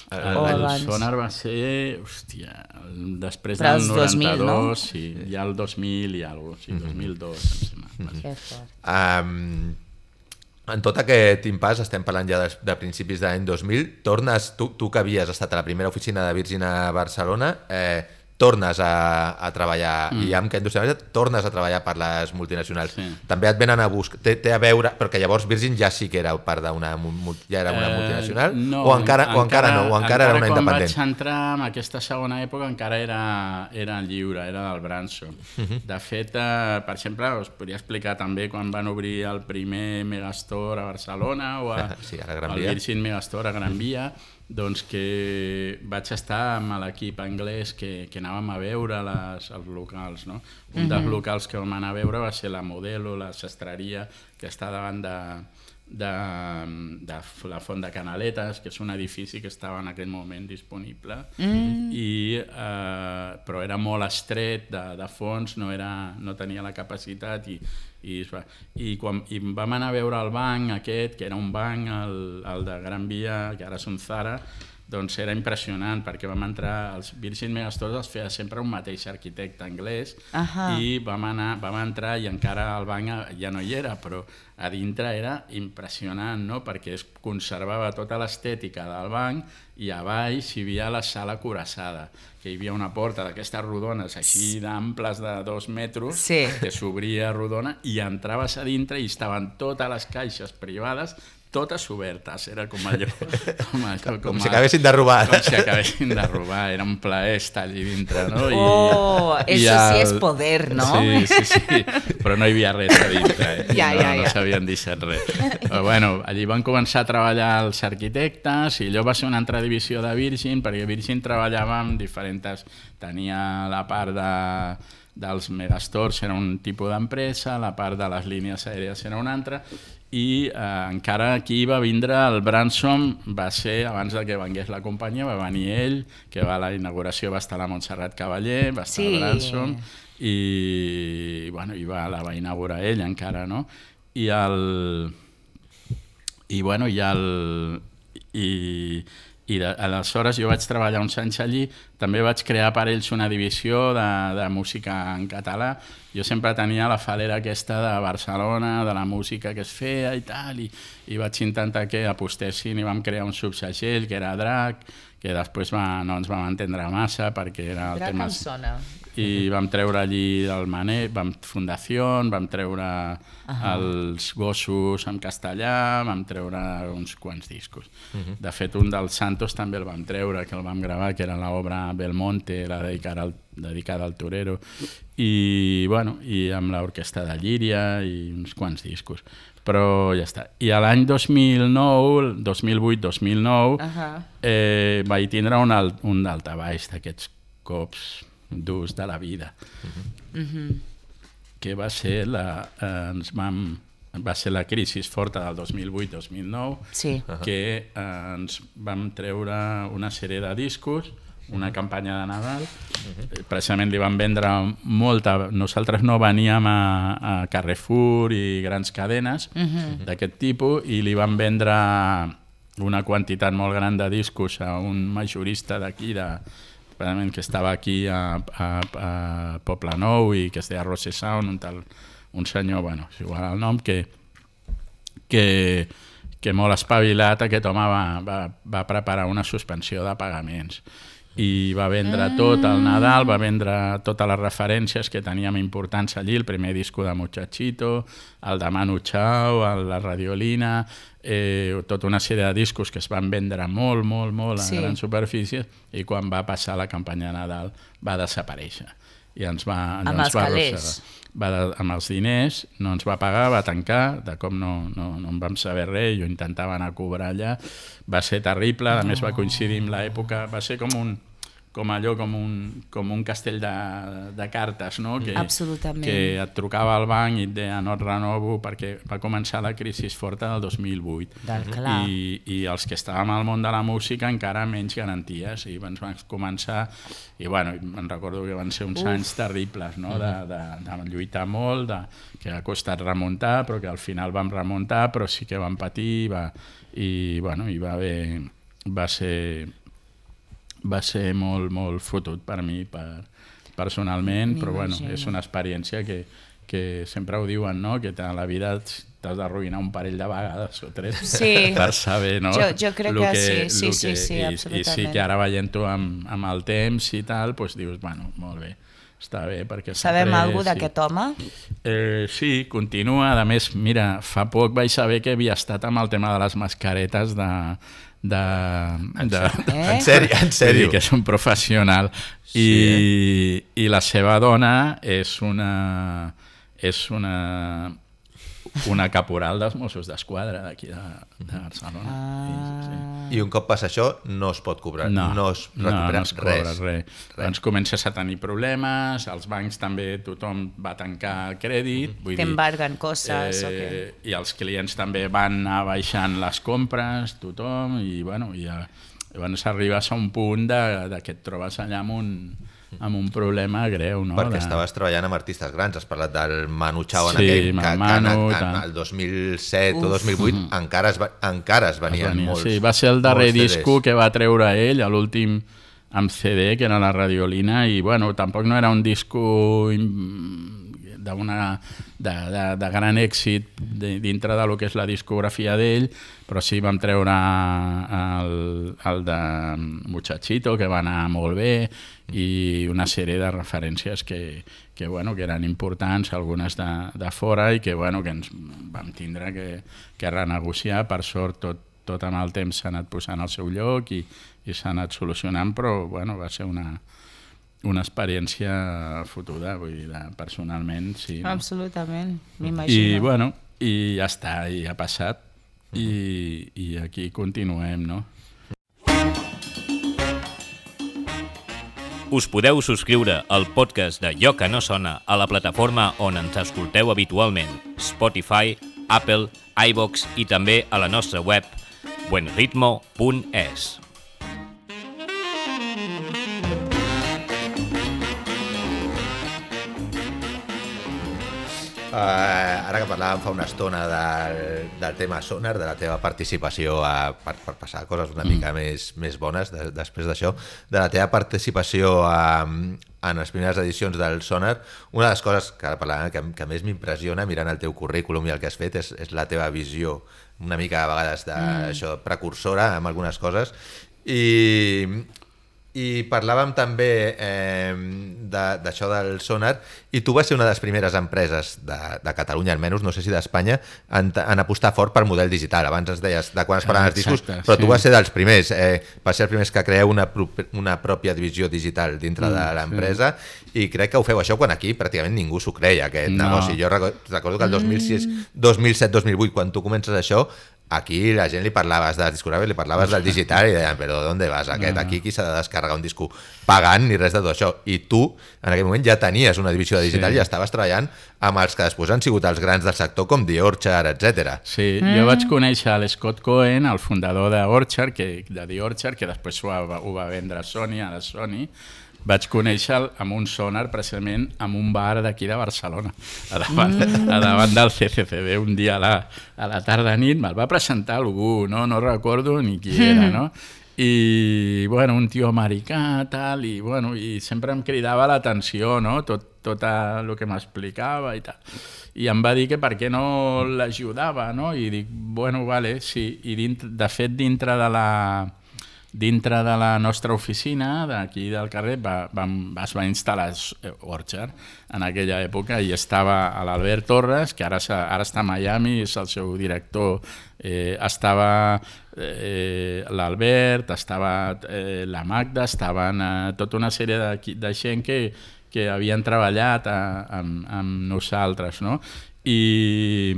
El, O el abans. Sonar va ser, hòstia, el, després Però del els dos mil, noranta-dos, no? sí, ja el dos mil i alguna cosa, sí, dos mil dos, em sembla. Que fort. Um, en tot aquest impàs, estem parlant ja de, de principis de l'any dos mil, tornes, tu, tu que havies estat a la primera oficina de Virgin a Barcelona, eh, tornes a, a treballar, mm. i amb que indústria tornes a treballar per les multinacionals. Sí. També et venen a buscar, té, té a veure, perquè llavors Virgin ja sí que era part d'una, ja era una multinacional, Eh, no, o, encara, o encara no, o encara, era una independent. Quan vaig entrar en aquesta segona època encara era, era lliure, era del Branson. Uh -huh. De fet, eh, per exemple, us podria explicar també quan van obrir el primer Megastore a Barcelona o a, sí, a la Gran el Via. Virgin Megastore a Gran Via, doncs que vaig estar amb l'equip anglès que, que anàvem a veure les, els locals, no? Un uh-huh. dels locals que vam anar a veure va ser la Modelo, la sastreria, que està davant de, de, de la Font de Canaletes, que és un edifici que estava en aquell moment disponible, mm. i, eh, però era molt estret de, de fons, no, era, no tenia la capacitat, i, i, i quan i vam anar a veure el banc aquest, que era un banc, el, el de Gran Via, que ara és un Zara, doncs era impressionant, perquè vam entrar, els Virgin Megastores els feia sempre un mateix arquitecte anglès, uh-huh. i vam, anar, vam entrar i encara el banc ja no hi era, però a dintre era impressionant, no? Perquè es conservava tota l'estètica del banc i a baix hi havia la sala cuirassada, que hi havia una porta d'aquestes rodones així d'amples de dos metres, sí. que s'obria rodona i entraves a dintre i estaven totes les caixes privades totes obertes, era com allò... Com, allò, com, com com si acabessin de robar. Com si acabesin de robar, era un plaer estar allí dintre, no? I, oh, i això el... sí és poder, no? Sí, sí, sí, però no hi havia res a dintre, eh? Ja, no, ja, ja. no s'havien deixat res. Però bueno, allí van començar a treballar els arquitectes i allò va ser una altra divisió de Virgin, perquè Virgin treballava amb diferents... Tenia la part de... dels megastores era un tipus d'empresa, la part de les línies aèries era una altra, i eh, encara aquí va vindre el Branson, va ser abans de que vengués la companyia, va venir ell, que va a la inauguració va estar la Montserrat Cavaller, va estar sí. el Branson, i, bueno, i va, la va inaugurar ell encara, no? I el... I bueno, i el... I, i de, aleshores jo vaig treballar uns anys allí, també vaig crear per ells una divisió de, de música en català. Jo sempre tenia la falera aquesta de Barcelona, de la música que es feia i tal, i, i vaig intentar que apostessin i vam crear un subsegell que era Drac, que després va, no ens vam entendre massa perquè era el Drac tema... em sona. I vam treure allí el Manet, vam Fundació, vam treure uh-huh. els gossos en castellà, vam treure uns quants discos. Uh-huh. De fet, un dels Santos també el vam treure, que el vam gravar, que era l'obra Belmonte, la dedicada al, dedicada al torero, i, bueno, i amb l'orquestra de Llíria i uns quants discos. Però ja està. I a l'any dos mil nou, dos mil vuit dos mil nou, uh-huh. eh, vaig tindre un, alt, un daltabaix d'aquests cops durs de la vida, uh-huh. Uh-huh. que va ser la, eh, ens vam, va ser la crisi forta del dos mil vuit dos mil nou, sí. uh-huh. que eh, ens vam treure una sèrie de discos, una campanya de Nadal, uh-huh. precisament li vam vendre molta, nosaltres no veníem a, a Carrefour i grans cadenes uh-huh. d'aquest tipus, i li vam vendre una quantitat molt gran de discos a un majorista d'aquí, de que estava aquí a, a, a Poblenou i que es deia Rose Sound, un, tal, un senyor, bueno, és igual el nom, que, que, que molt espavilat aquest home va, va, va preparar una suspensió de pagaments. i va vendre tot al Nadal, va vendre totes les referències que teníem importants allí, el primer disco de Muchachito, el de Manu Chao, el, la Radiolina, eh, tota una sèrie de discos que es van vendre molt, molt, molt a Sí. grans superfícies, i quan va passar la campanya de Nadal va desaparèixer. I ens va, Amb ens els va calés. arrossegar. Va de, amb els diners, no ens va pagar, va tancar, de com no, no, no en vam saber res, jo intentava anar a cobrar allà, va ser terrible, a més va coincidir amb l'època, va ser com un com allò, com un, com un castell de, de cartes, no? Que, Absolutament. que et trucava al banc i et deia no et renovo, perquè va començar la crisi forta del dos mil vuit. Del clar. I, i els que estàvem al món de la música encara menys garanties, i ens van començar, i bueno, me'n recordo que van ser uns Uf. anys terribles, no? de, de, de lluitar molt, de, que ha costat remuntar, però que al final vam remuntar, però sí que vam patir, va, i bueno, hi va haver, va ser va ser molt, molt fotut per mi per, personalment, però bueno, és una experiència que, que sempre ho diuen, no? Que a la vida t'has d'arruïnar un parell de vegades o tres Sí. per saber, no? Jo, jo crec Lo que, que sí, sí, lo sí, que, sí, i, absolutament. I sí que ara veient-ho amb, amb el temps i tal, doncs dius, bueno, molt bé, està bé, perquè s'ha Sabem après, alguna sí. d'aquest home? Eh, sí, continua. A més, mira, fa poc vaig saber que havia estat amb el tema de les mascaretes de... de, de Eh? En sèrio, en Vull dir sèrio. que és un professional. Sí, I, I la seva dona és una... és una una caporal dels Mossos d'Esquadra d'aquí de, de Barcelona. Ah. Sí, sí. I un cop passa això, no es pot cobrar, No, no es recupera no, no es cobra res. res. Doncs comences a tenir problemes, els bancs també tothom va tancar el crèdit, vull dir, T'embarguen coses o què? eh, i els clients també van anar baixant les compres, tothom, i bueno, i ja, llavors arribes a un punt de, de que et trobes allà amb un, amb un problema greu, no? Perquè de... estaves treballant amb artistes grans, has parlat del Manu Chao en Sí, aquell, amb que, el que en, Manu, en, tant. el dos mil set Uf. o dos mil vuit encara es, va, encara es venien Venia, molts. sí, va ser el darrer molts C Ds. disco que va treure ell, a l'últim amb C D, que era la Radiolina, i bueno, tampoc no era un disco d'una de, de, de gran èxit de, dintre de lo que és la discografia d'ell, però sí vam treure el, el de Muchachito, que va anar molt bé, i una sèrie de referències que, que, bueno, que eren importants, algunes de, de fora, i que, bueno, que ens vam tindre que, que renegociar. Per sort, tot, tot amb el temps s'ha anat posant al seu lloc i, i s'ha anat solucionant, però bueno, va ser una, una experiència fotuda, vull dir, de, personalment, sí. No? Absolutament, I, m'imagino. bueno, i ja està, i ha passat, i, i aquí continuem, no? Us podeu subscriure al podcast de Allò que no sona a la plataforma on ens escolteu habitualment, Spotify, Apple, iVoox i també a la nostra web buenritmo punt es. Uh, ara que parlàvem fa una estona del, del tema Sonar, de la teva participació a, per, per passar coses una mica mm. més, més bones de, després d'això, de la teva participació a, en les primeres edicions del Sonar, una de les coses que ara parlàvem que, que més m'impressiona mirant el teu currículum i el que has fet és, és la teva visió una mica a vegades de, mm. això, precursora amb algunes coses, i... I parlàvem també eh, d'això de, del Sonar, i tu vas ser una de les primeres empreses de, de Catalunya, almenys, no sé si d'Espanya, en, en apostar fort per model digital. Abans ens deies de quan es parlaven els discos, Exacte, però sí. tu vas ser dels primers, eh, vas ser els primers que creeu una, una pròpia divisió digital dintre Mm, de l'empresa, sí. I crec que ho feu això quan aquí pràcticament ningú s'ho creia, aquest No. negoci. Jo recordo, recordo que el dos mil sis, dos mil set dos mil vuit, quan tu comences això, aquí la gent li parlaves de les discogràfies, li parlaves del digital i deien, però d'on vas aquest? No. Aquí qui s'ha de descarregar un disco pagant ni res de tot això. I tu, en aquell moment, ja tenies una divisió digital Sí. i estaves treballant amb els que després han sigut els grans del sector, com The Orchard, etcètera. Sí, mm. jo vaig conèixer l'Scott Cohen, el fundador de Orchard, que, de The Orchard, que després ho va, ho va vendre a Sony, a la Sony. Vaig conèixer amb un Sonar precisament en un bar d'aquí de Barcelona, a davant, mm. a davant del C C C B, un dia a la, a la tarda nit, me'l va presentar algú, no, no recordo ni qui era, no? I, bueno, un tio americà, tal, i, bueno, i sempre em cridava l'atenció, no?, tot, tot el que m'explicava i tal. I em va dir que per què no l'ajudava, no? I dic, bueno, vale, sí. I dintre, de fet, dintre de la dintre de la nostra oficina, d'aquí del carrer, va, va, es va instal·lar Orchard en aquella època i estava l'Albert Torres, que ara, ara està a Miami, és el seu director, eh, estava eh, l'Albert, estava eh, la Magda, estaven eh, tota una sèrie de, de gent que, que havien treballat a, amb, amb nosaltres, no? I,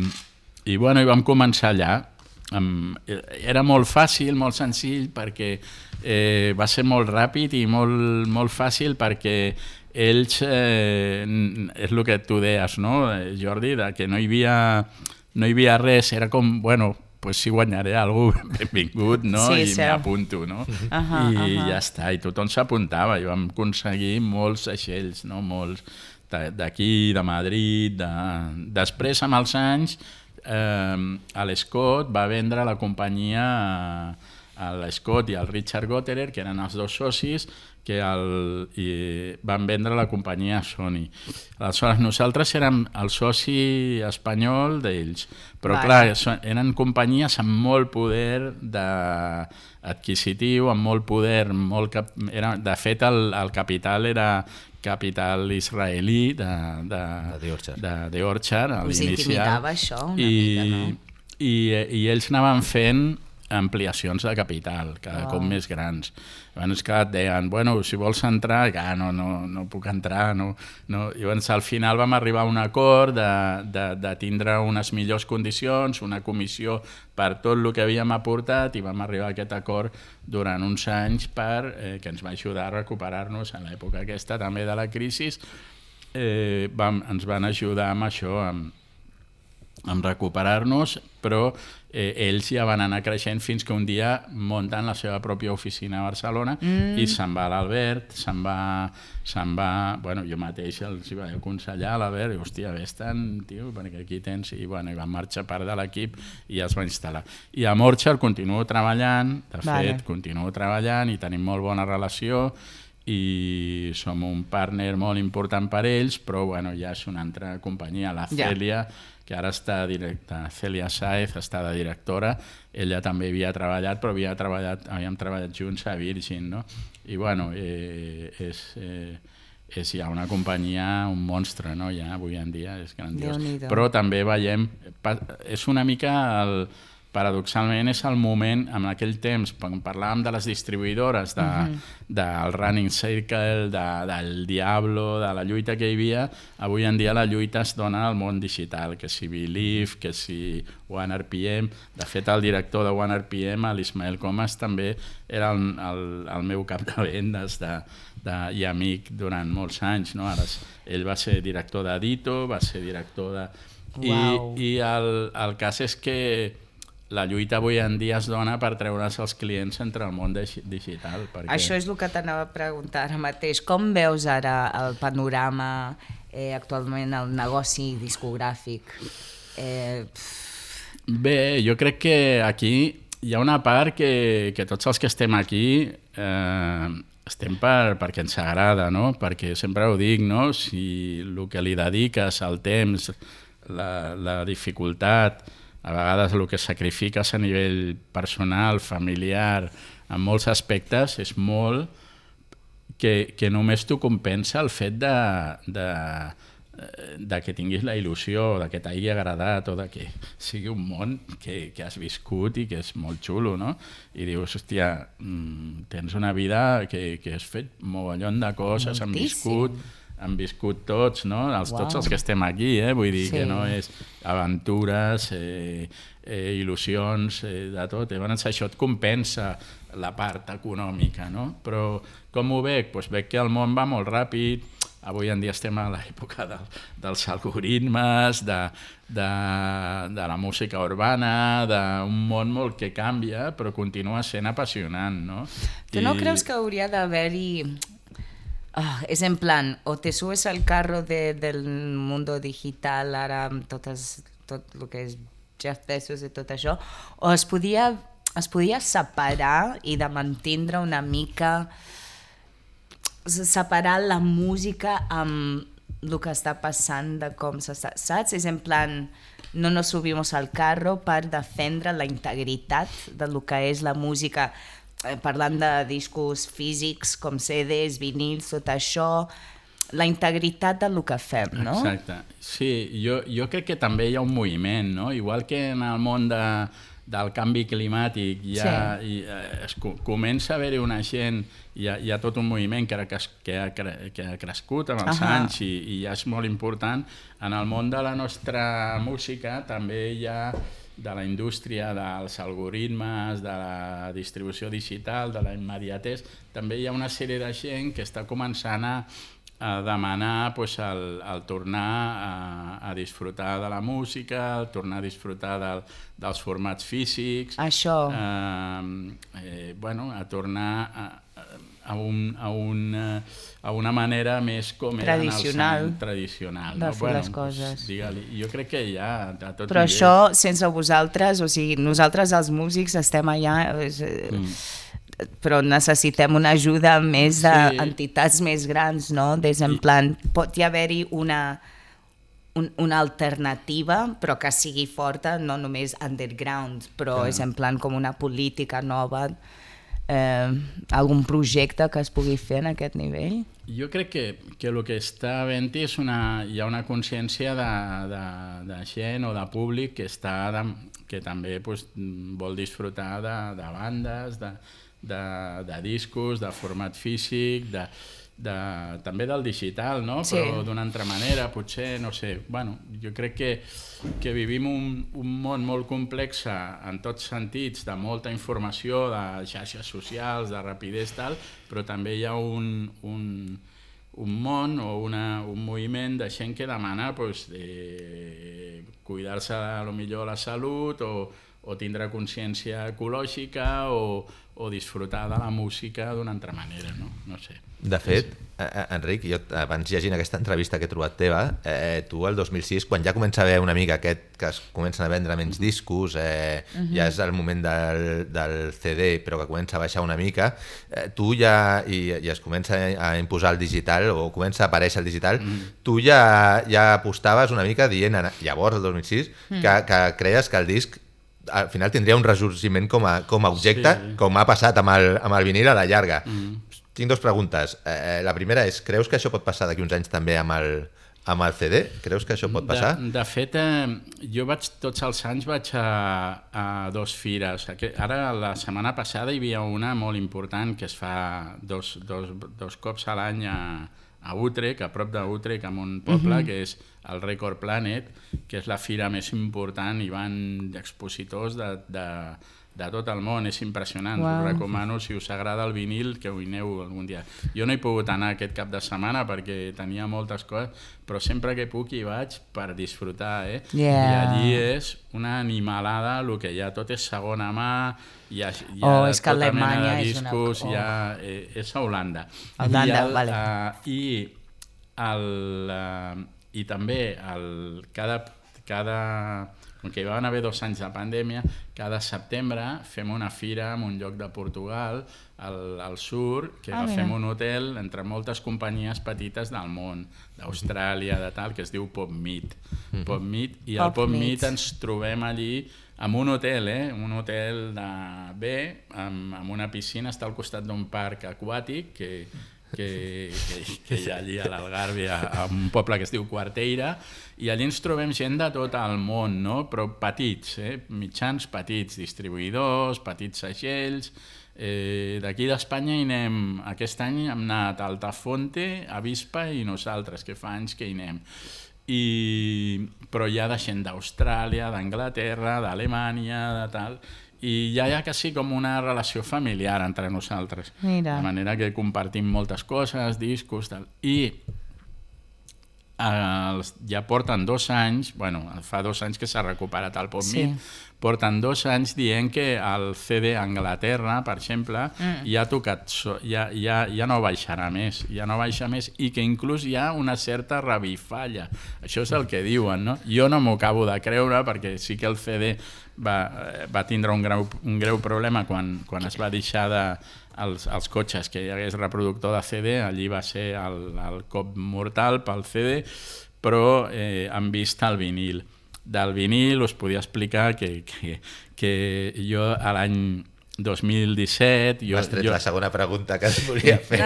i, bueno, i vam començar allà. Um, era molt fàcil, molt senzill, perquè eh, va ser molt ràpid i molt, molt fàcil perquè ells, eh, és el que tu deies, no, Jordi, de que no hi havia, no hi havia res, era com, bueno, pues si guanyaré alguna cosa, benvingut, no? Sí, i sí. M'apunto, no? Uh -huh, I uh -huh. ja està, i tothom s'apuntava i vam aconseguir molts aixells, no? Molts d'aquí, de Madrid, de... després amb els anys eh, l'Scott va vendre la companyia a, a l'Scott i al Richard Gotterer, que eren els dos socis, que el, i van vendre la companyia a Sony. Aleshores, nosaltres érem el soci espanyol d'ells, però vale. Clar, eren companyies amb molt poder de, adquisitiu, amb molt poder, molt cap, era, de fet el, el capital era capital israelí de, de, de, de Orchard, a l'inicial. Us intimidava això una I, mica, no? I, I ells anaven fent ampliacions de capital, cada oh. cop més grans. Llavors, clar, et deien, bueno, si vols entrar, ah, no, no, no puc entrar. No, no. Llavors, al final vam arribar a un acord de, de, de tindre unes millors condicions, una comissió per tot el que havíem aportat, i vam arribar a aquest acord durant uns anys per, eh, que ens va ajudar a recuperar-nos en l'època aquesta també de la crisi. Eh, vam, ens van ajudar amb això, amb, amb recuperar-nos, però eh, ells ja van anar creixent fins que un dia munten la seva pròpia oficina a Barcelona mm. i se'n va l'Albert, se'n va, se'n va, bueno, jo mateix els vaig aconsellar a l'Albert, i hòstia, vés-te'n, tio, perquè aquí tens, i bueno, i van marxar part de l'equip i es va instal·lar. I amb Orchard continuo treballant, de vale. fet, continuo treballant i tenim molt bona relació, i som un partner molt important per ells, però bueno, ja és una altra companyia, la Cèlia, yeah. que ara està directa, Cèlia Sáez està de directora, ella també havia treballat, però havia treballat, havíem treballat junts a Virgin, no? I bueno, eh, és, eh, és ja una companyia, un monstre, no? Ja avui en dia és grandiós. Però també veiem, és una mica el... paradoxalment és el moment, en aquell temps, quan parlàvem de les distribuïdores, de, uh-huh. del Running Circle, de, del Diablo, de la lluita que hi havia, avui en dia la lluita es dona al món digital, que si Believe, que si One R P M. De fet, el director de One R P M, l'Ismael Comas, també era el, el, el meu cap de vendes de, de, i amic durant molts anys. No? Ara, ell va ser director de Dito, va ser director de... Wow. I, i el, el cas és que la lluita avui en dia es dona per treure's els clients entre el món digital. Perquè... Això és el que t'anava a preguntar ara mateix. Com veus ara el panorama, eh, actualment, el negoci discogràfic? Eh... Bé, jo crec que aquí hi ha una part que, que tots els que estem aquí eh, estem per, perquè ens agrada, no? Perquè sempre ho dic, no? Si el que li dediques, el temps, la, la dificultat, a vegades el que sacrifiques a nivell personal, familiar, en molts aspectes, és molt que, que només t'ho compensa el fet de, de, de que tinguis la il·lusió, de que t'hagi agradat, o de que sigui un món que, que has viscut i que és molt xulo, no? I dius, hòstia, tens una vida que, que has fet mogollon de coses, han viscut... han viscut tots, no? Els, wow. Tots els que estem aquí, eh? Vull dir sí. que no és aventures, eh, eh, il·lusions, eh, de tot. Llavors això et compensa la part econòmica, no? Però com ho veig? Pues veig que el món va molt ràpid, avui en dia estem a l'època del, dels algoritmes, de, de, de la música urbana, d'un món molt que canvia, però continua sent apassionant, no? Tu no I... creus que hauria d'haver-hi... Oh, és en plan, o te subes al carro de, del mundo digital ara amb totes, tot el que és Jeff Bezos i tot això, o es podia, es podia separar i de mantindre una mica, separar la música amb el que està passant, de com s'està, saps? És en plan, no nos subimos al carro per defendre la integritat de lo que és la música parlant de discos físics com C Ds, vinils, tot això, la integritat del que fem, no? Exacte. Sí, jo, jo crec que també hi ha un moviment, no? Igual que en el món de, del canvi climàtic ja sí. i, eh, es, comença a haver-hi una gent, hi ha, hi ha tot un moviment que, que, que, ha, que ha crescut amb els uh -huh. anys i, i ja és molt important. En el món de la nostra música també hi ha, de la indústria dels algoritmes, de la distribució digital, de la immediatesa, també hi ha una sèrie de gent que està començant a a demanar pues, el, el tornar a, a disfrutar de la música, el tornar a disfrutar del, dels formats físics, això. Eh, eh, bueno, a tornar a, a, un, a, un, a una manera més com tradicional, era tradicional de no? fer bueno, les coses. Pues, jo crec que ja a tot Però nivell. això sense vosaltres, o sigui, nosaltres els músics estem allà... És, mm. però necessitem una ajuda més d'entitats sí. més grans, no? Des en plan, pot hi haver-hi una, un, una alternativa, però que sigui forta, no només underground, però és en plan com una política nova, eh, algun projecte que es pugui fer en aquest nivell? Jo crec que, que el que està havent-hi és una, hi ha una consciència de, de, de gent o de públic que, està de, que també pues, vol disfrutar de, de bandes, de De, de discos, de format físic, de, de, també del digital, no? Sí. Però d'una altra manera, potser, no sé, bueno, jo crec que, que vivim un, un món molt complex en tots sentits, de molta informació, de xarxes socials, de rapidesa, tal, però també hi ha un, un, un món o una, un moviment de gent que demana pues, de cuidar-se a lo millor la salut o, o tindre consciència ecològica o o disfrutar de la música d'una altra manera, no? No sé. De fet, eh, Enric, jo abans llegint aquesta entrevista que he trobat teva, eh, tu el dos mil sis, quan ja comença a haver una mica aquest que es comencen a vendre menys discos, eh, uh-huh. ja és el moment del, del C D, però que comença a baixar una mica, eh, tu ja, i, i es comença a imposar el digital, o comença a aparèixer el digital, uh-huh. tu ja, ja apostaves una mica dient, llavors, el dos mil sis, uh-huh. que, que creies que el disc al final tindria un ressorgiment com a, com a objecte, sí. com ha passat amb el, amb el vinil a la llarga. Mm. Tinc dues preguntes. Eh, la primera és, creus que això pot passar d'aquí uns anys també amb el, amb el C D? Creus que això pot passar? De, de fet, eh, jo vaig, tots els anys vaig a, a dos fires. Ara, la setmana passada, hi havia una molt important que es fa dos, dos, dos cops a l'any a, a Utrecht, a prop d'Utrecht, en un poble, uh-huh. que és el Record Planet, que és la fira més important, hi van expositors de, de, de tot el món, és impressionant. Wow. Us recomano, si us agrada el vinil, que ho hi aneu algun dia. Jo no he pogut anar aquest cap de setmana perquè tenia moltes coses, però sempre que puc hi vaig per disfrutar, eh? Yeah. I allí és una animalada, el que hi ha tot és segona mà, hi ha, hi ha oh, és que tota mena de discos, és, una... oh. hi ha, eh, és a Holanda. Holanda, I el, vale. Uh, i, el, uh, i també el, cada, cada, com que hi van haver dos anys de pandèmia, cada setembre fem una fira en un lloc de Portugal, al, al sur, que ah, agafem un hotel entre moltes companyies petites del món, d'Austràlia, de tal, que es diu PopMeet. Mm-hmm. PopMeet, i al PopMeet ens trobem allí en un hotel, eh? un hotel de bé, amb, amb una piscina, està al costat d'un parc aquàtic que, que, que, que hi ha allí a l'Algarve, a, a un poble que es diu Quarteira, i allí ens trobem gent de tot el món, no? Però petits, eh? mitjans petits, distribuïdors, petits segells. Eh, d'aquí d'Espanya hi anem, aquest any hem anat a Altafonte, Avispa i nosaltres, que fa anys que hi anem. I, però hi ha de gent d'Austràlia, d'Anglaterra, d'Alemanya, de tal, i ja hi ha quasi com una relació familiar entre nosaltres. Mira. De manera que compartim moltes coses, discos, tal. I eh, ja porten dos anys, bueno, fa dos anys que s'ha recuperat el PopMeet, sí. porten dos anys dient que el C D a Anglaterra, per exemple, mm. ja ha tocat, ja, ja, ja no baixarà més, ja no baixa més, i que inclús hi ha una certa revifalla. Això és el que diuen, no? Jo no m'ho acabo de creure, perquè sí que el C D va, va tindre un greu, un greu problema quan, quan es va deixar de els, els cotxes que hi hagués reproductor de C D, allí va ser el, el cop mortal pel C D, però eh, han vist el vinil. Del vinil us podia explicar que, que, que jo a l'any dos mil disset... Jo, M'has tret jo... la segona pregunta que es volia fer.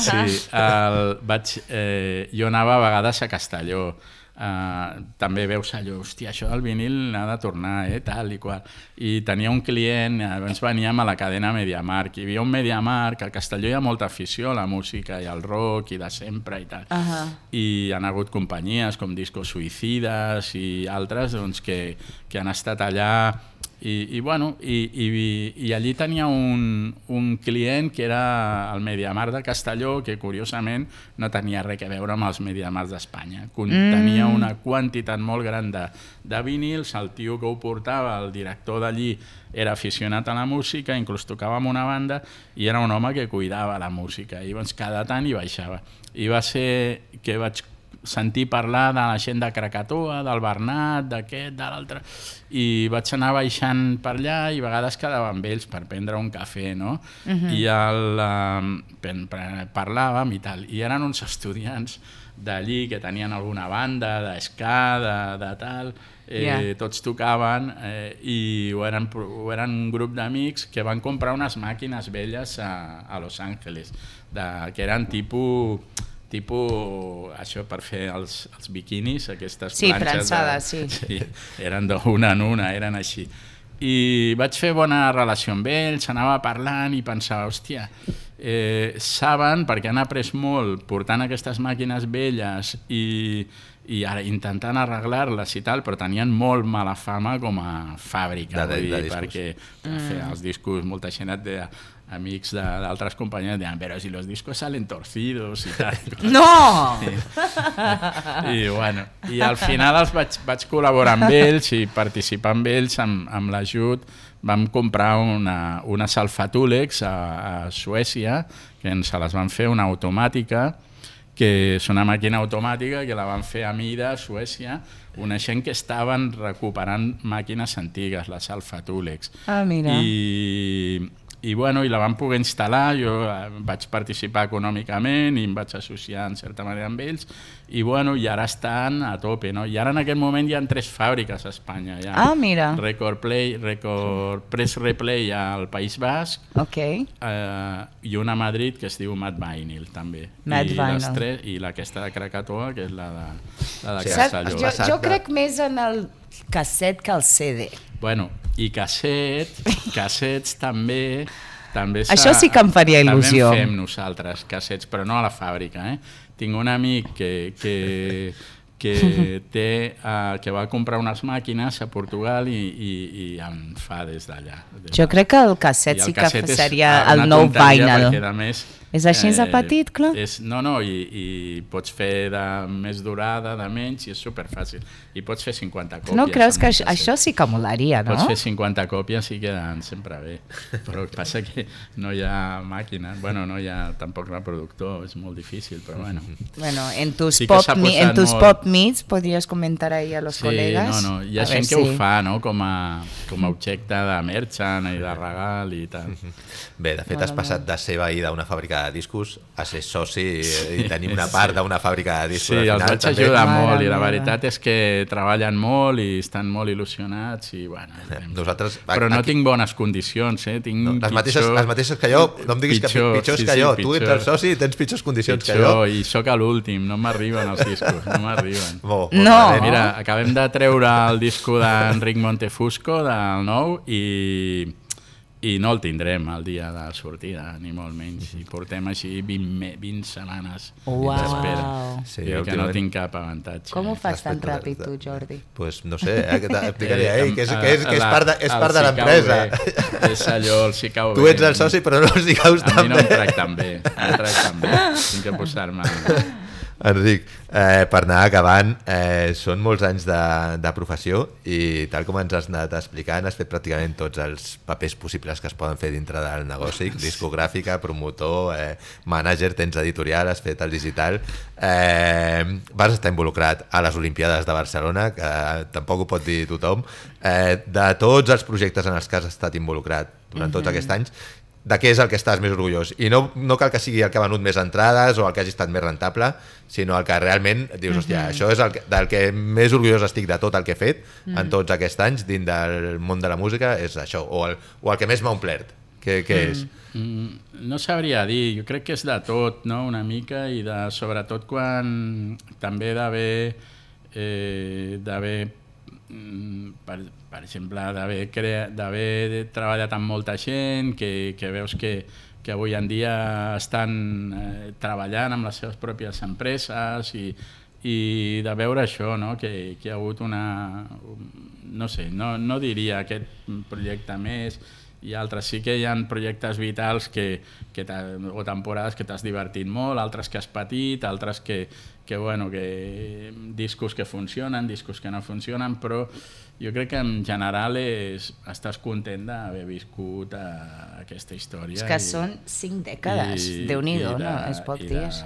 Sí, el, vaig, eh, jo anava a vegades a Castelló. Uh, també veus allò, hòstia, això del vinil ha de tornar, eh, tal i qual. I tenia un client, abans veníem a la cadena MediaMarkt, hi havia un MediaMarkt, a Castelló hi ha molta afició a la música i al rock i de sempre i tal. Uh -huh. I han hagut companyies com Discos Suïcides i altres doncs, que, que han estat allà. I, i, bueno, i, i, i allí tenia un, un client que era el MediaMarkt de Castelló, que curiosament no tenia res a veure amb els MediaMarkts d'Espanya. Tenia mm. una quantitat molt gran de, de vinils, el tio que ho portava, el director d'allí, era aficionat a la música, inclús tocava amb una banda, i era un home que cuidava la música. I doncs cada tant hi baixava. I va ser que vaig sentir parlar de la gent de Krakatoa, del Bernat, d'aquest, de l'altre, i vaig anar baixant per allà i a vegades quedava amb ells per prendre un cafè, no? Uh-huh. I el, uh, parlàvem i tal, i eren uns estudiants d'allí que tenien alguna banda d'esca, de, de tal, eh, yeah. tots tocaven eh, i ho eren, ho eren un grup d'amics que van comprar unes màquines velles a, a Los Angeles, de, que eren tipus... tipus, això per fer els, els biquinis, aquestes sí, planxes. Prensades, de, sí. sí. Eren d'una en una, eren així. I vaig fer bona relació amb ells, anava parlant i pensava, hòstia, eh, saben, perquè han après molt portant aquestes màquines velles i, i ara intentant arreglar-les i tal, però tenien molt mala fama com a fàbrica, de, de, de dir, perquè mm. fer els discos, molta gent et deia, amics d'altres companyies deien, però si los discos salen torcidos i tal. No! I, i, bueno, i al final els vaig, vaig col·laborar amb ells i participar amb ells amb, amb l'ajut. Vam comprar una, una Salfatulex a, a Suècia, que ens les van fer una automàtica, que és una màquina automàtica que la van fer a mida a Suècia, una gent que estaven recuperant màquines antigues, la Salfatulex. Ah, mira. I... I, bueno, i la vam poder instal·lar, jo vaig participar econòmicament i em vaig associar en certa manera amb ells, i, bueno, i ara estan a tope, no? I ara en aquest moment hi ha tres fàbriques a Espanya. Hi ha ah, mira. Record Play, Record Press Replay al País Basc, okay. eh, i una a Madrid que es diu Mad Vinyl, també. Mad I, Vinyl. Les tres, I aquesta de Krakatoa, que és la de, la de sí, Castelló. Jo, jo crec més en el casset que el C D. Bueno, i casset, cassets també... també això sí que em faria il·lusió. També en fem nosaltres, cassets, però no a la fàbrica. Eh? Tinc un amic que, que, que, té, uh, que va comprar unes màquines a Portugal i, i, i en fa des d'allà. Jo crec que el casset el sí casset que seria el nou vinyl. Perquè, a més, és així de petit, clar? És, no, no, i, i pots fer de més durada, de menys, i és superfàcil. I pots fer cinquanta còpies. No creus que això, això sí que molaria, no? Pots fer cinquanta còpies i queden sempre bé. Però el que passa que no hi ha màquina, bueno, no hi ha tampoc reproductor, és molt difícil, però bueno. Bueno, en tus, sí pop, en tus molt... pop meets podries comentar ahí a los sí, colegas. No, no, hi ha a gent que sí. ho fa, no?, com a, com a objecte de merchant i de regal i tal. Bé, de fet has passat de ser veí d'una fàbrica de discos a ser soci i tenir una part d'una fàbrica de discos. Sí, al els final, vaig ajudar Mare molt i la veritat és que treballen molt i estan molt il·lusionats i bueno... Nosaltres, però no aquí... tinc bones condicions, eh? Tinc no, les, pitjor, mateixes, les mateixes que jo, no em diguis pitjor, que pitjors sí, que jo, sí, tu ets el soci i tens pitjors condicions pitjor, que jo. I sóc a l'últim, no m'arriben els discos, no m'arriben. No! Mira, acabem de treure el disco d'Enric Montefusco, del nou, i... i no el tindrem el dia de sortida, ni molt menys. I portem així vint, vint setmanes d'espera. Sí, I que no tinc cap avantatge. Com ho fas tan ràpid tu, Jordi? Pues no sé, eh, explicaria a ell, que és, que és, que és part de, és part de l'empresa. És allò, els hi cau bé. Tu ets el soci, però no els hi caus tan bé. A mi no em tracten bé, no em tracten bé. Tinc que posar-me... Enric, eh, per anar acabant, eh, són molts anys de, de professió i tal com ens has anat explicant, has fet pràcticament tots els papers possibles que es poden fer dintre del negoci, discogràfica, promotor, eh, mànager, tens editorial, has fet el digital, eh, vas estar involucrat a les Olimpiades de Barcelona, que tampoc ho pot dir tothom, eh, de tots els projectes en els que has estat involucrat durant tots mm-hmm. aquests anys, de què és el que estàs més orgullós. I no, no cal que sigui el que ha venut més entrades o el que hagi estat més rentable, sinó el que realment dius, hòstia, mm-hmm. això és el que, del que més orgullós estic de tot el que he fet mm-hmm. en tots aquests anys dins del món de la música, és això, o el, o el que més m'ha omplert. Què, què és? Mm, no sabria dir, jo crec que és de tot, no? Una mica, i de, sobretot quan també d'haver eh, d'haver per, per exemple d'haver treballat amb molta gent que, que veus que, que avui en dia estan eh, treballant amb les seves pròpies empreses i, i de veure això, no? que, que hi ha hagut una... no sé, no, no diria aquest projecte més, i altres sí que hi ha projectes vitals que, que o temporades que t'has divertit molt, altres que has patit, altres que, que, bueno, que discos que funcionen, discos que no funcionen, però jo crec que en general és, estàs content d'haver viscut a, aquesta història. És que i, són cinc dècades, Déu-n'hi-do, no? És poc dies.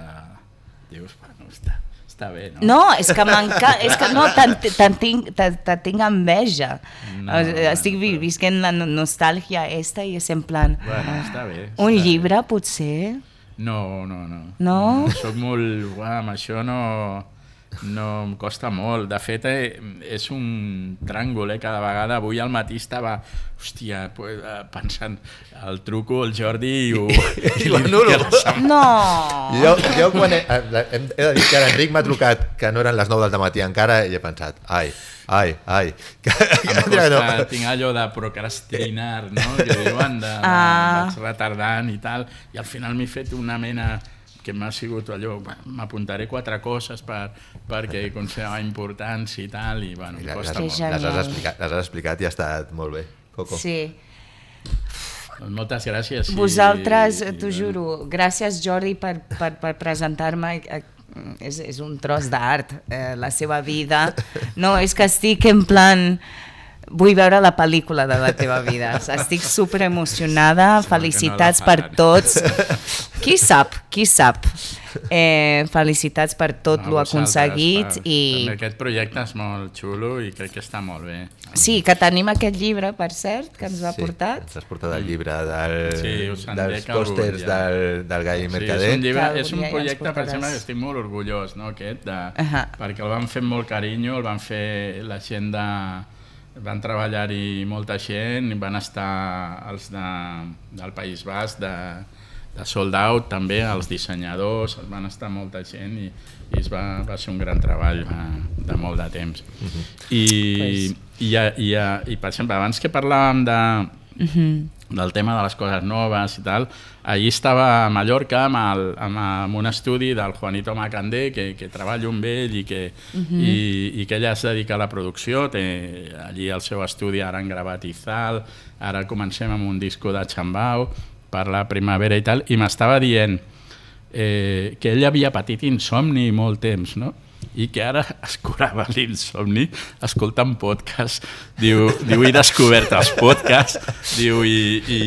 Dius, bueno, està... Està bé, no? No, és que m'encanta, és que no, te'n te tinc, te, te tinc enveja. No, estic però... visquent la nostàlgia esta i és en plan... Bueno, està bé. Un està llibre, bé. potser? No, no, no. No? no soc molt... Uah, amb això no... No, em costa molt. De fet, eh, és un tràngol, eh? Cada vegada. Avui al matí estava, hòstia, pues, eh, pensant, el truco, el Jordi i ho... I l'anulo. No! Jo, jo quan he, he de dir que l'Enric m'ha trucat que no eren les nou del matí encara i he pensat, ai, ai, ai. Que, em costa, no. Tinc allò de procrastinar, no? Que diuen, de, ah. vaig retardant i tal, i al final m'he fet una mena... que m'ha sigut allò, m'apuntaré quatre coses per, perquè considerava importants i tal, i bueno, em costa molt. Les has, explicat, les has explicat i ha estat molt bé, Coco. Sí. Doncs moltes gràcies. Vosaltres, i, t'ho i, juro, gràcies Jordi per, per, per presentar-me, és, és un tros d'art, eh, la seva vida. No, és que estic en plan... Vull veure la pel·lícula de la teva vida. Estic super emocionada. Felicitats per tots. Qui sap, qui sap. Eh, felicitats per tot no, lo aconseguit. Per, i... També aquest projecte és molt xulo i crec que està molt bé. Sí, que tenim aquest llibre, per cert, que ens ha sí, portat. Ens has portat el llibre del, sí, dels pòsters ja. del, del Gai Mercader. Sí, és un, llibre, és un projecte, per exemple, que estic molt orgullós, no, aquest, de, uh -huh. perquè el van fer amb molt carinyo, el van fer la gent de... Van treballar-hi molta gent, van estar els de, del País Basc, de, de Sold Out, també, els dissenyadors, van estar molta gent i, i es va, va ser un gran treball va, de molt de temps. Uh-huh. I, pues... i, i, i, per exemple, abans que parlàvem de, uh-huh. del tema de les coses noves i tal, allí estava a Mallorca amb, el, amb, amb un estudi del Juanito Macandé, que, que treballo amb ell i que, uh-huh. i, i que ella es dedica a la producció, té allí el seu estudi, ara han gravat Izal, ara comencem amb un disco de Chambao per la primavera i tal, i m'estava dient eh, que ell havia patit insomni molt temps, no? I que ara es curava l'insomni escoltant podcast. Diu, diu, he descobert els podcasts, diu, i, i,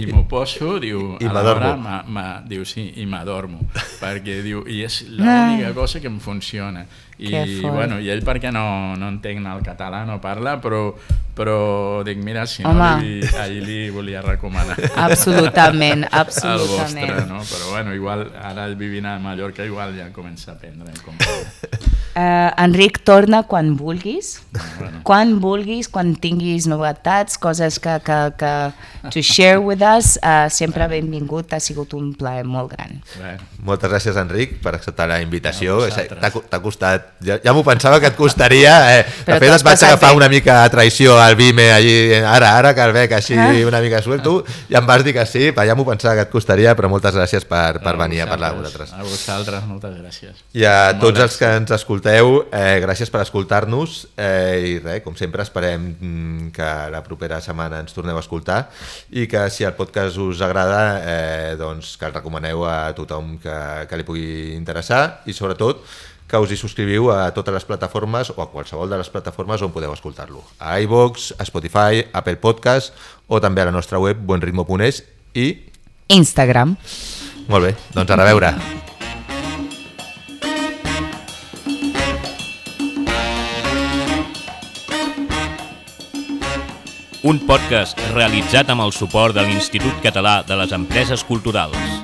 i m'ho poso, diu, I a l'hora, ma, ma, diu, sí, i m'adormo, perquè diu, i és l'única cosa que em funciona. I, bueno, i ell perquè no, no entenc el català, no parla, però, però dic, mira, si no, li, ahir li volia recomanar. Absolutament, absolutament. El vostre, no? Però bueno, igual, ara vivint a Mallorca, igual ja comença a aprendre com Uh, Enric, torna quan vulguis, ah, bueno. quan vulguis, quan tinguis novetats, coses que, que, que to share with us, uh, sempre benvingut, ha sigut un plaer molt gran. Bueno. Moltes gràcies, Enric, per acceptar la invitació. T'ha costat, ja, ja m'ho pensava que et costaria, eh. de fet et vaig agafar bé. una mica a traïció al Vime allí, ara, ara que el veig així ah. una mica suelto, i em vas dir que sí, ja m'ho pensava que et costaria, però moltes gràcies per, per venir a parlar amb vosaltres. A vosaltres, moltes gràcies. I a tots els que ens escolteu, Eh, gràcies per escoltar-nos eh, i res, com sempre esperem mm, que la propera setmana ens torneu a escoltar i que si el podcast us agrada eh, doncs que el recomaneu a tothom que, que li pugui interessar i sobretot que us hi subscriviu a totes les plataformes o a qualsevol de les plataformes on podeu escoltar-lo, a iVoox, a Spotify, Apple Podcast o també a la nostra web buenritmo punt es i Instagram. Molt bé, doncs a reveure. Un podcast realitzat amb el suport de l'Institut Català de les Empreses Culturals.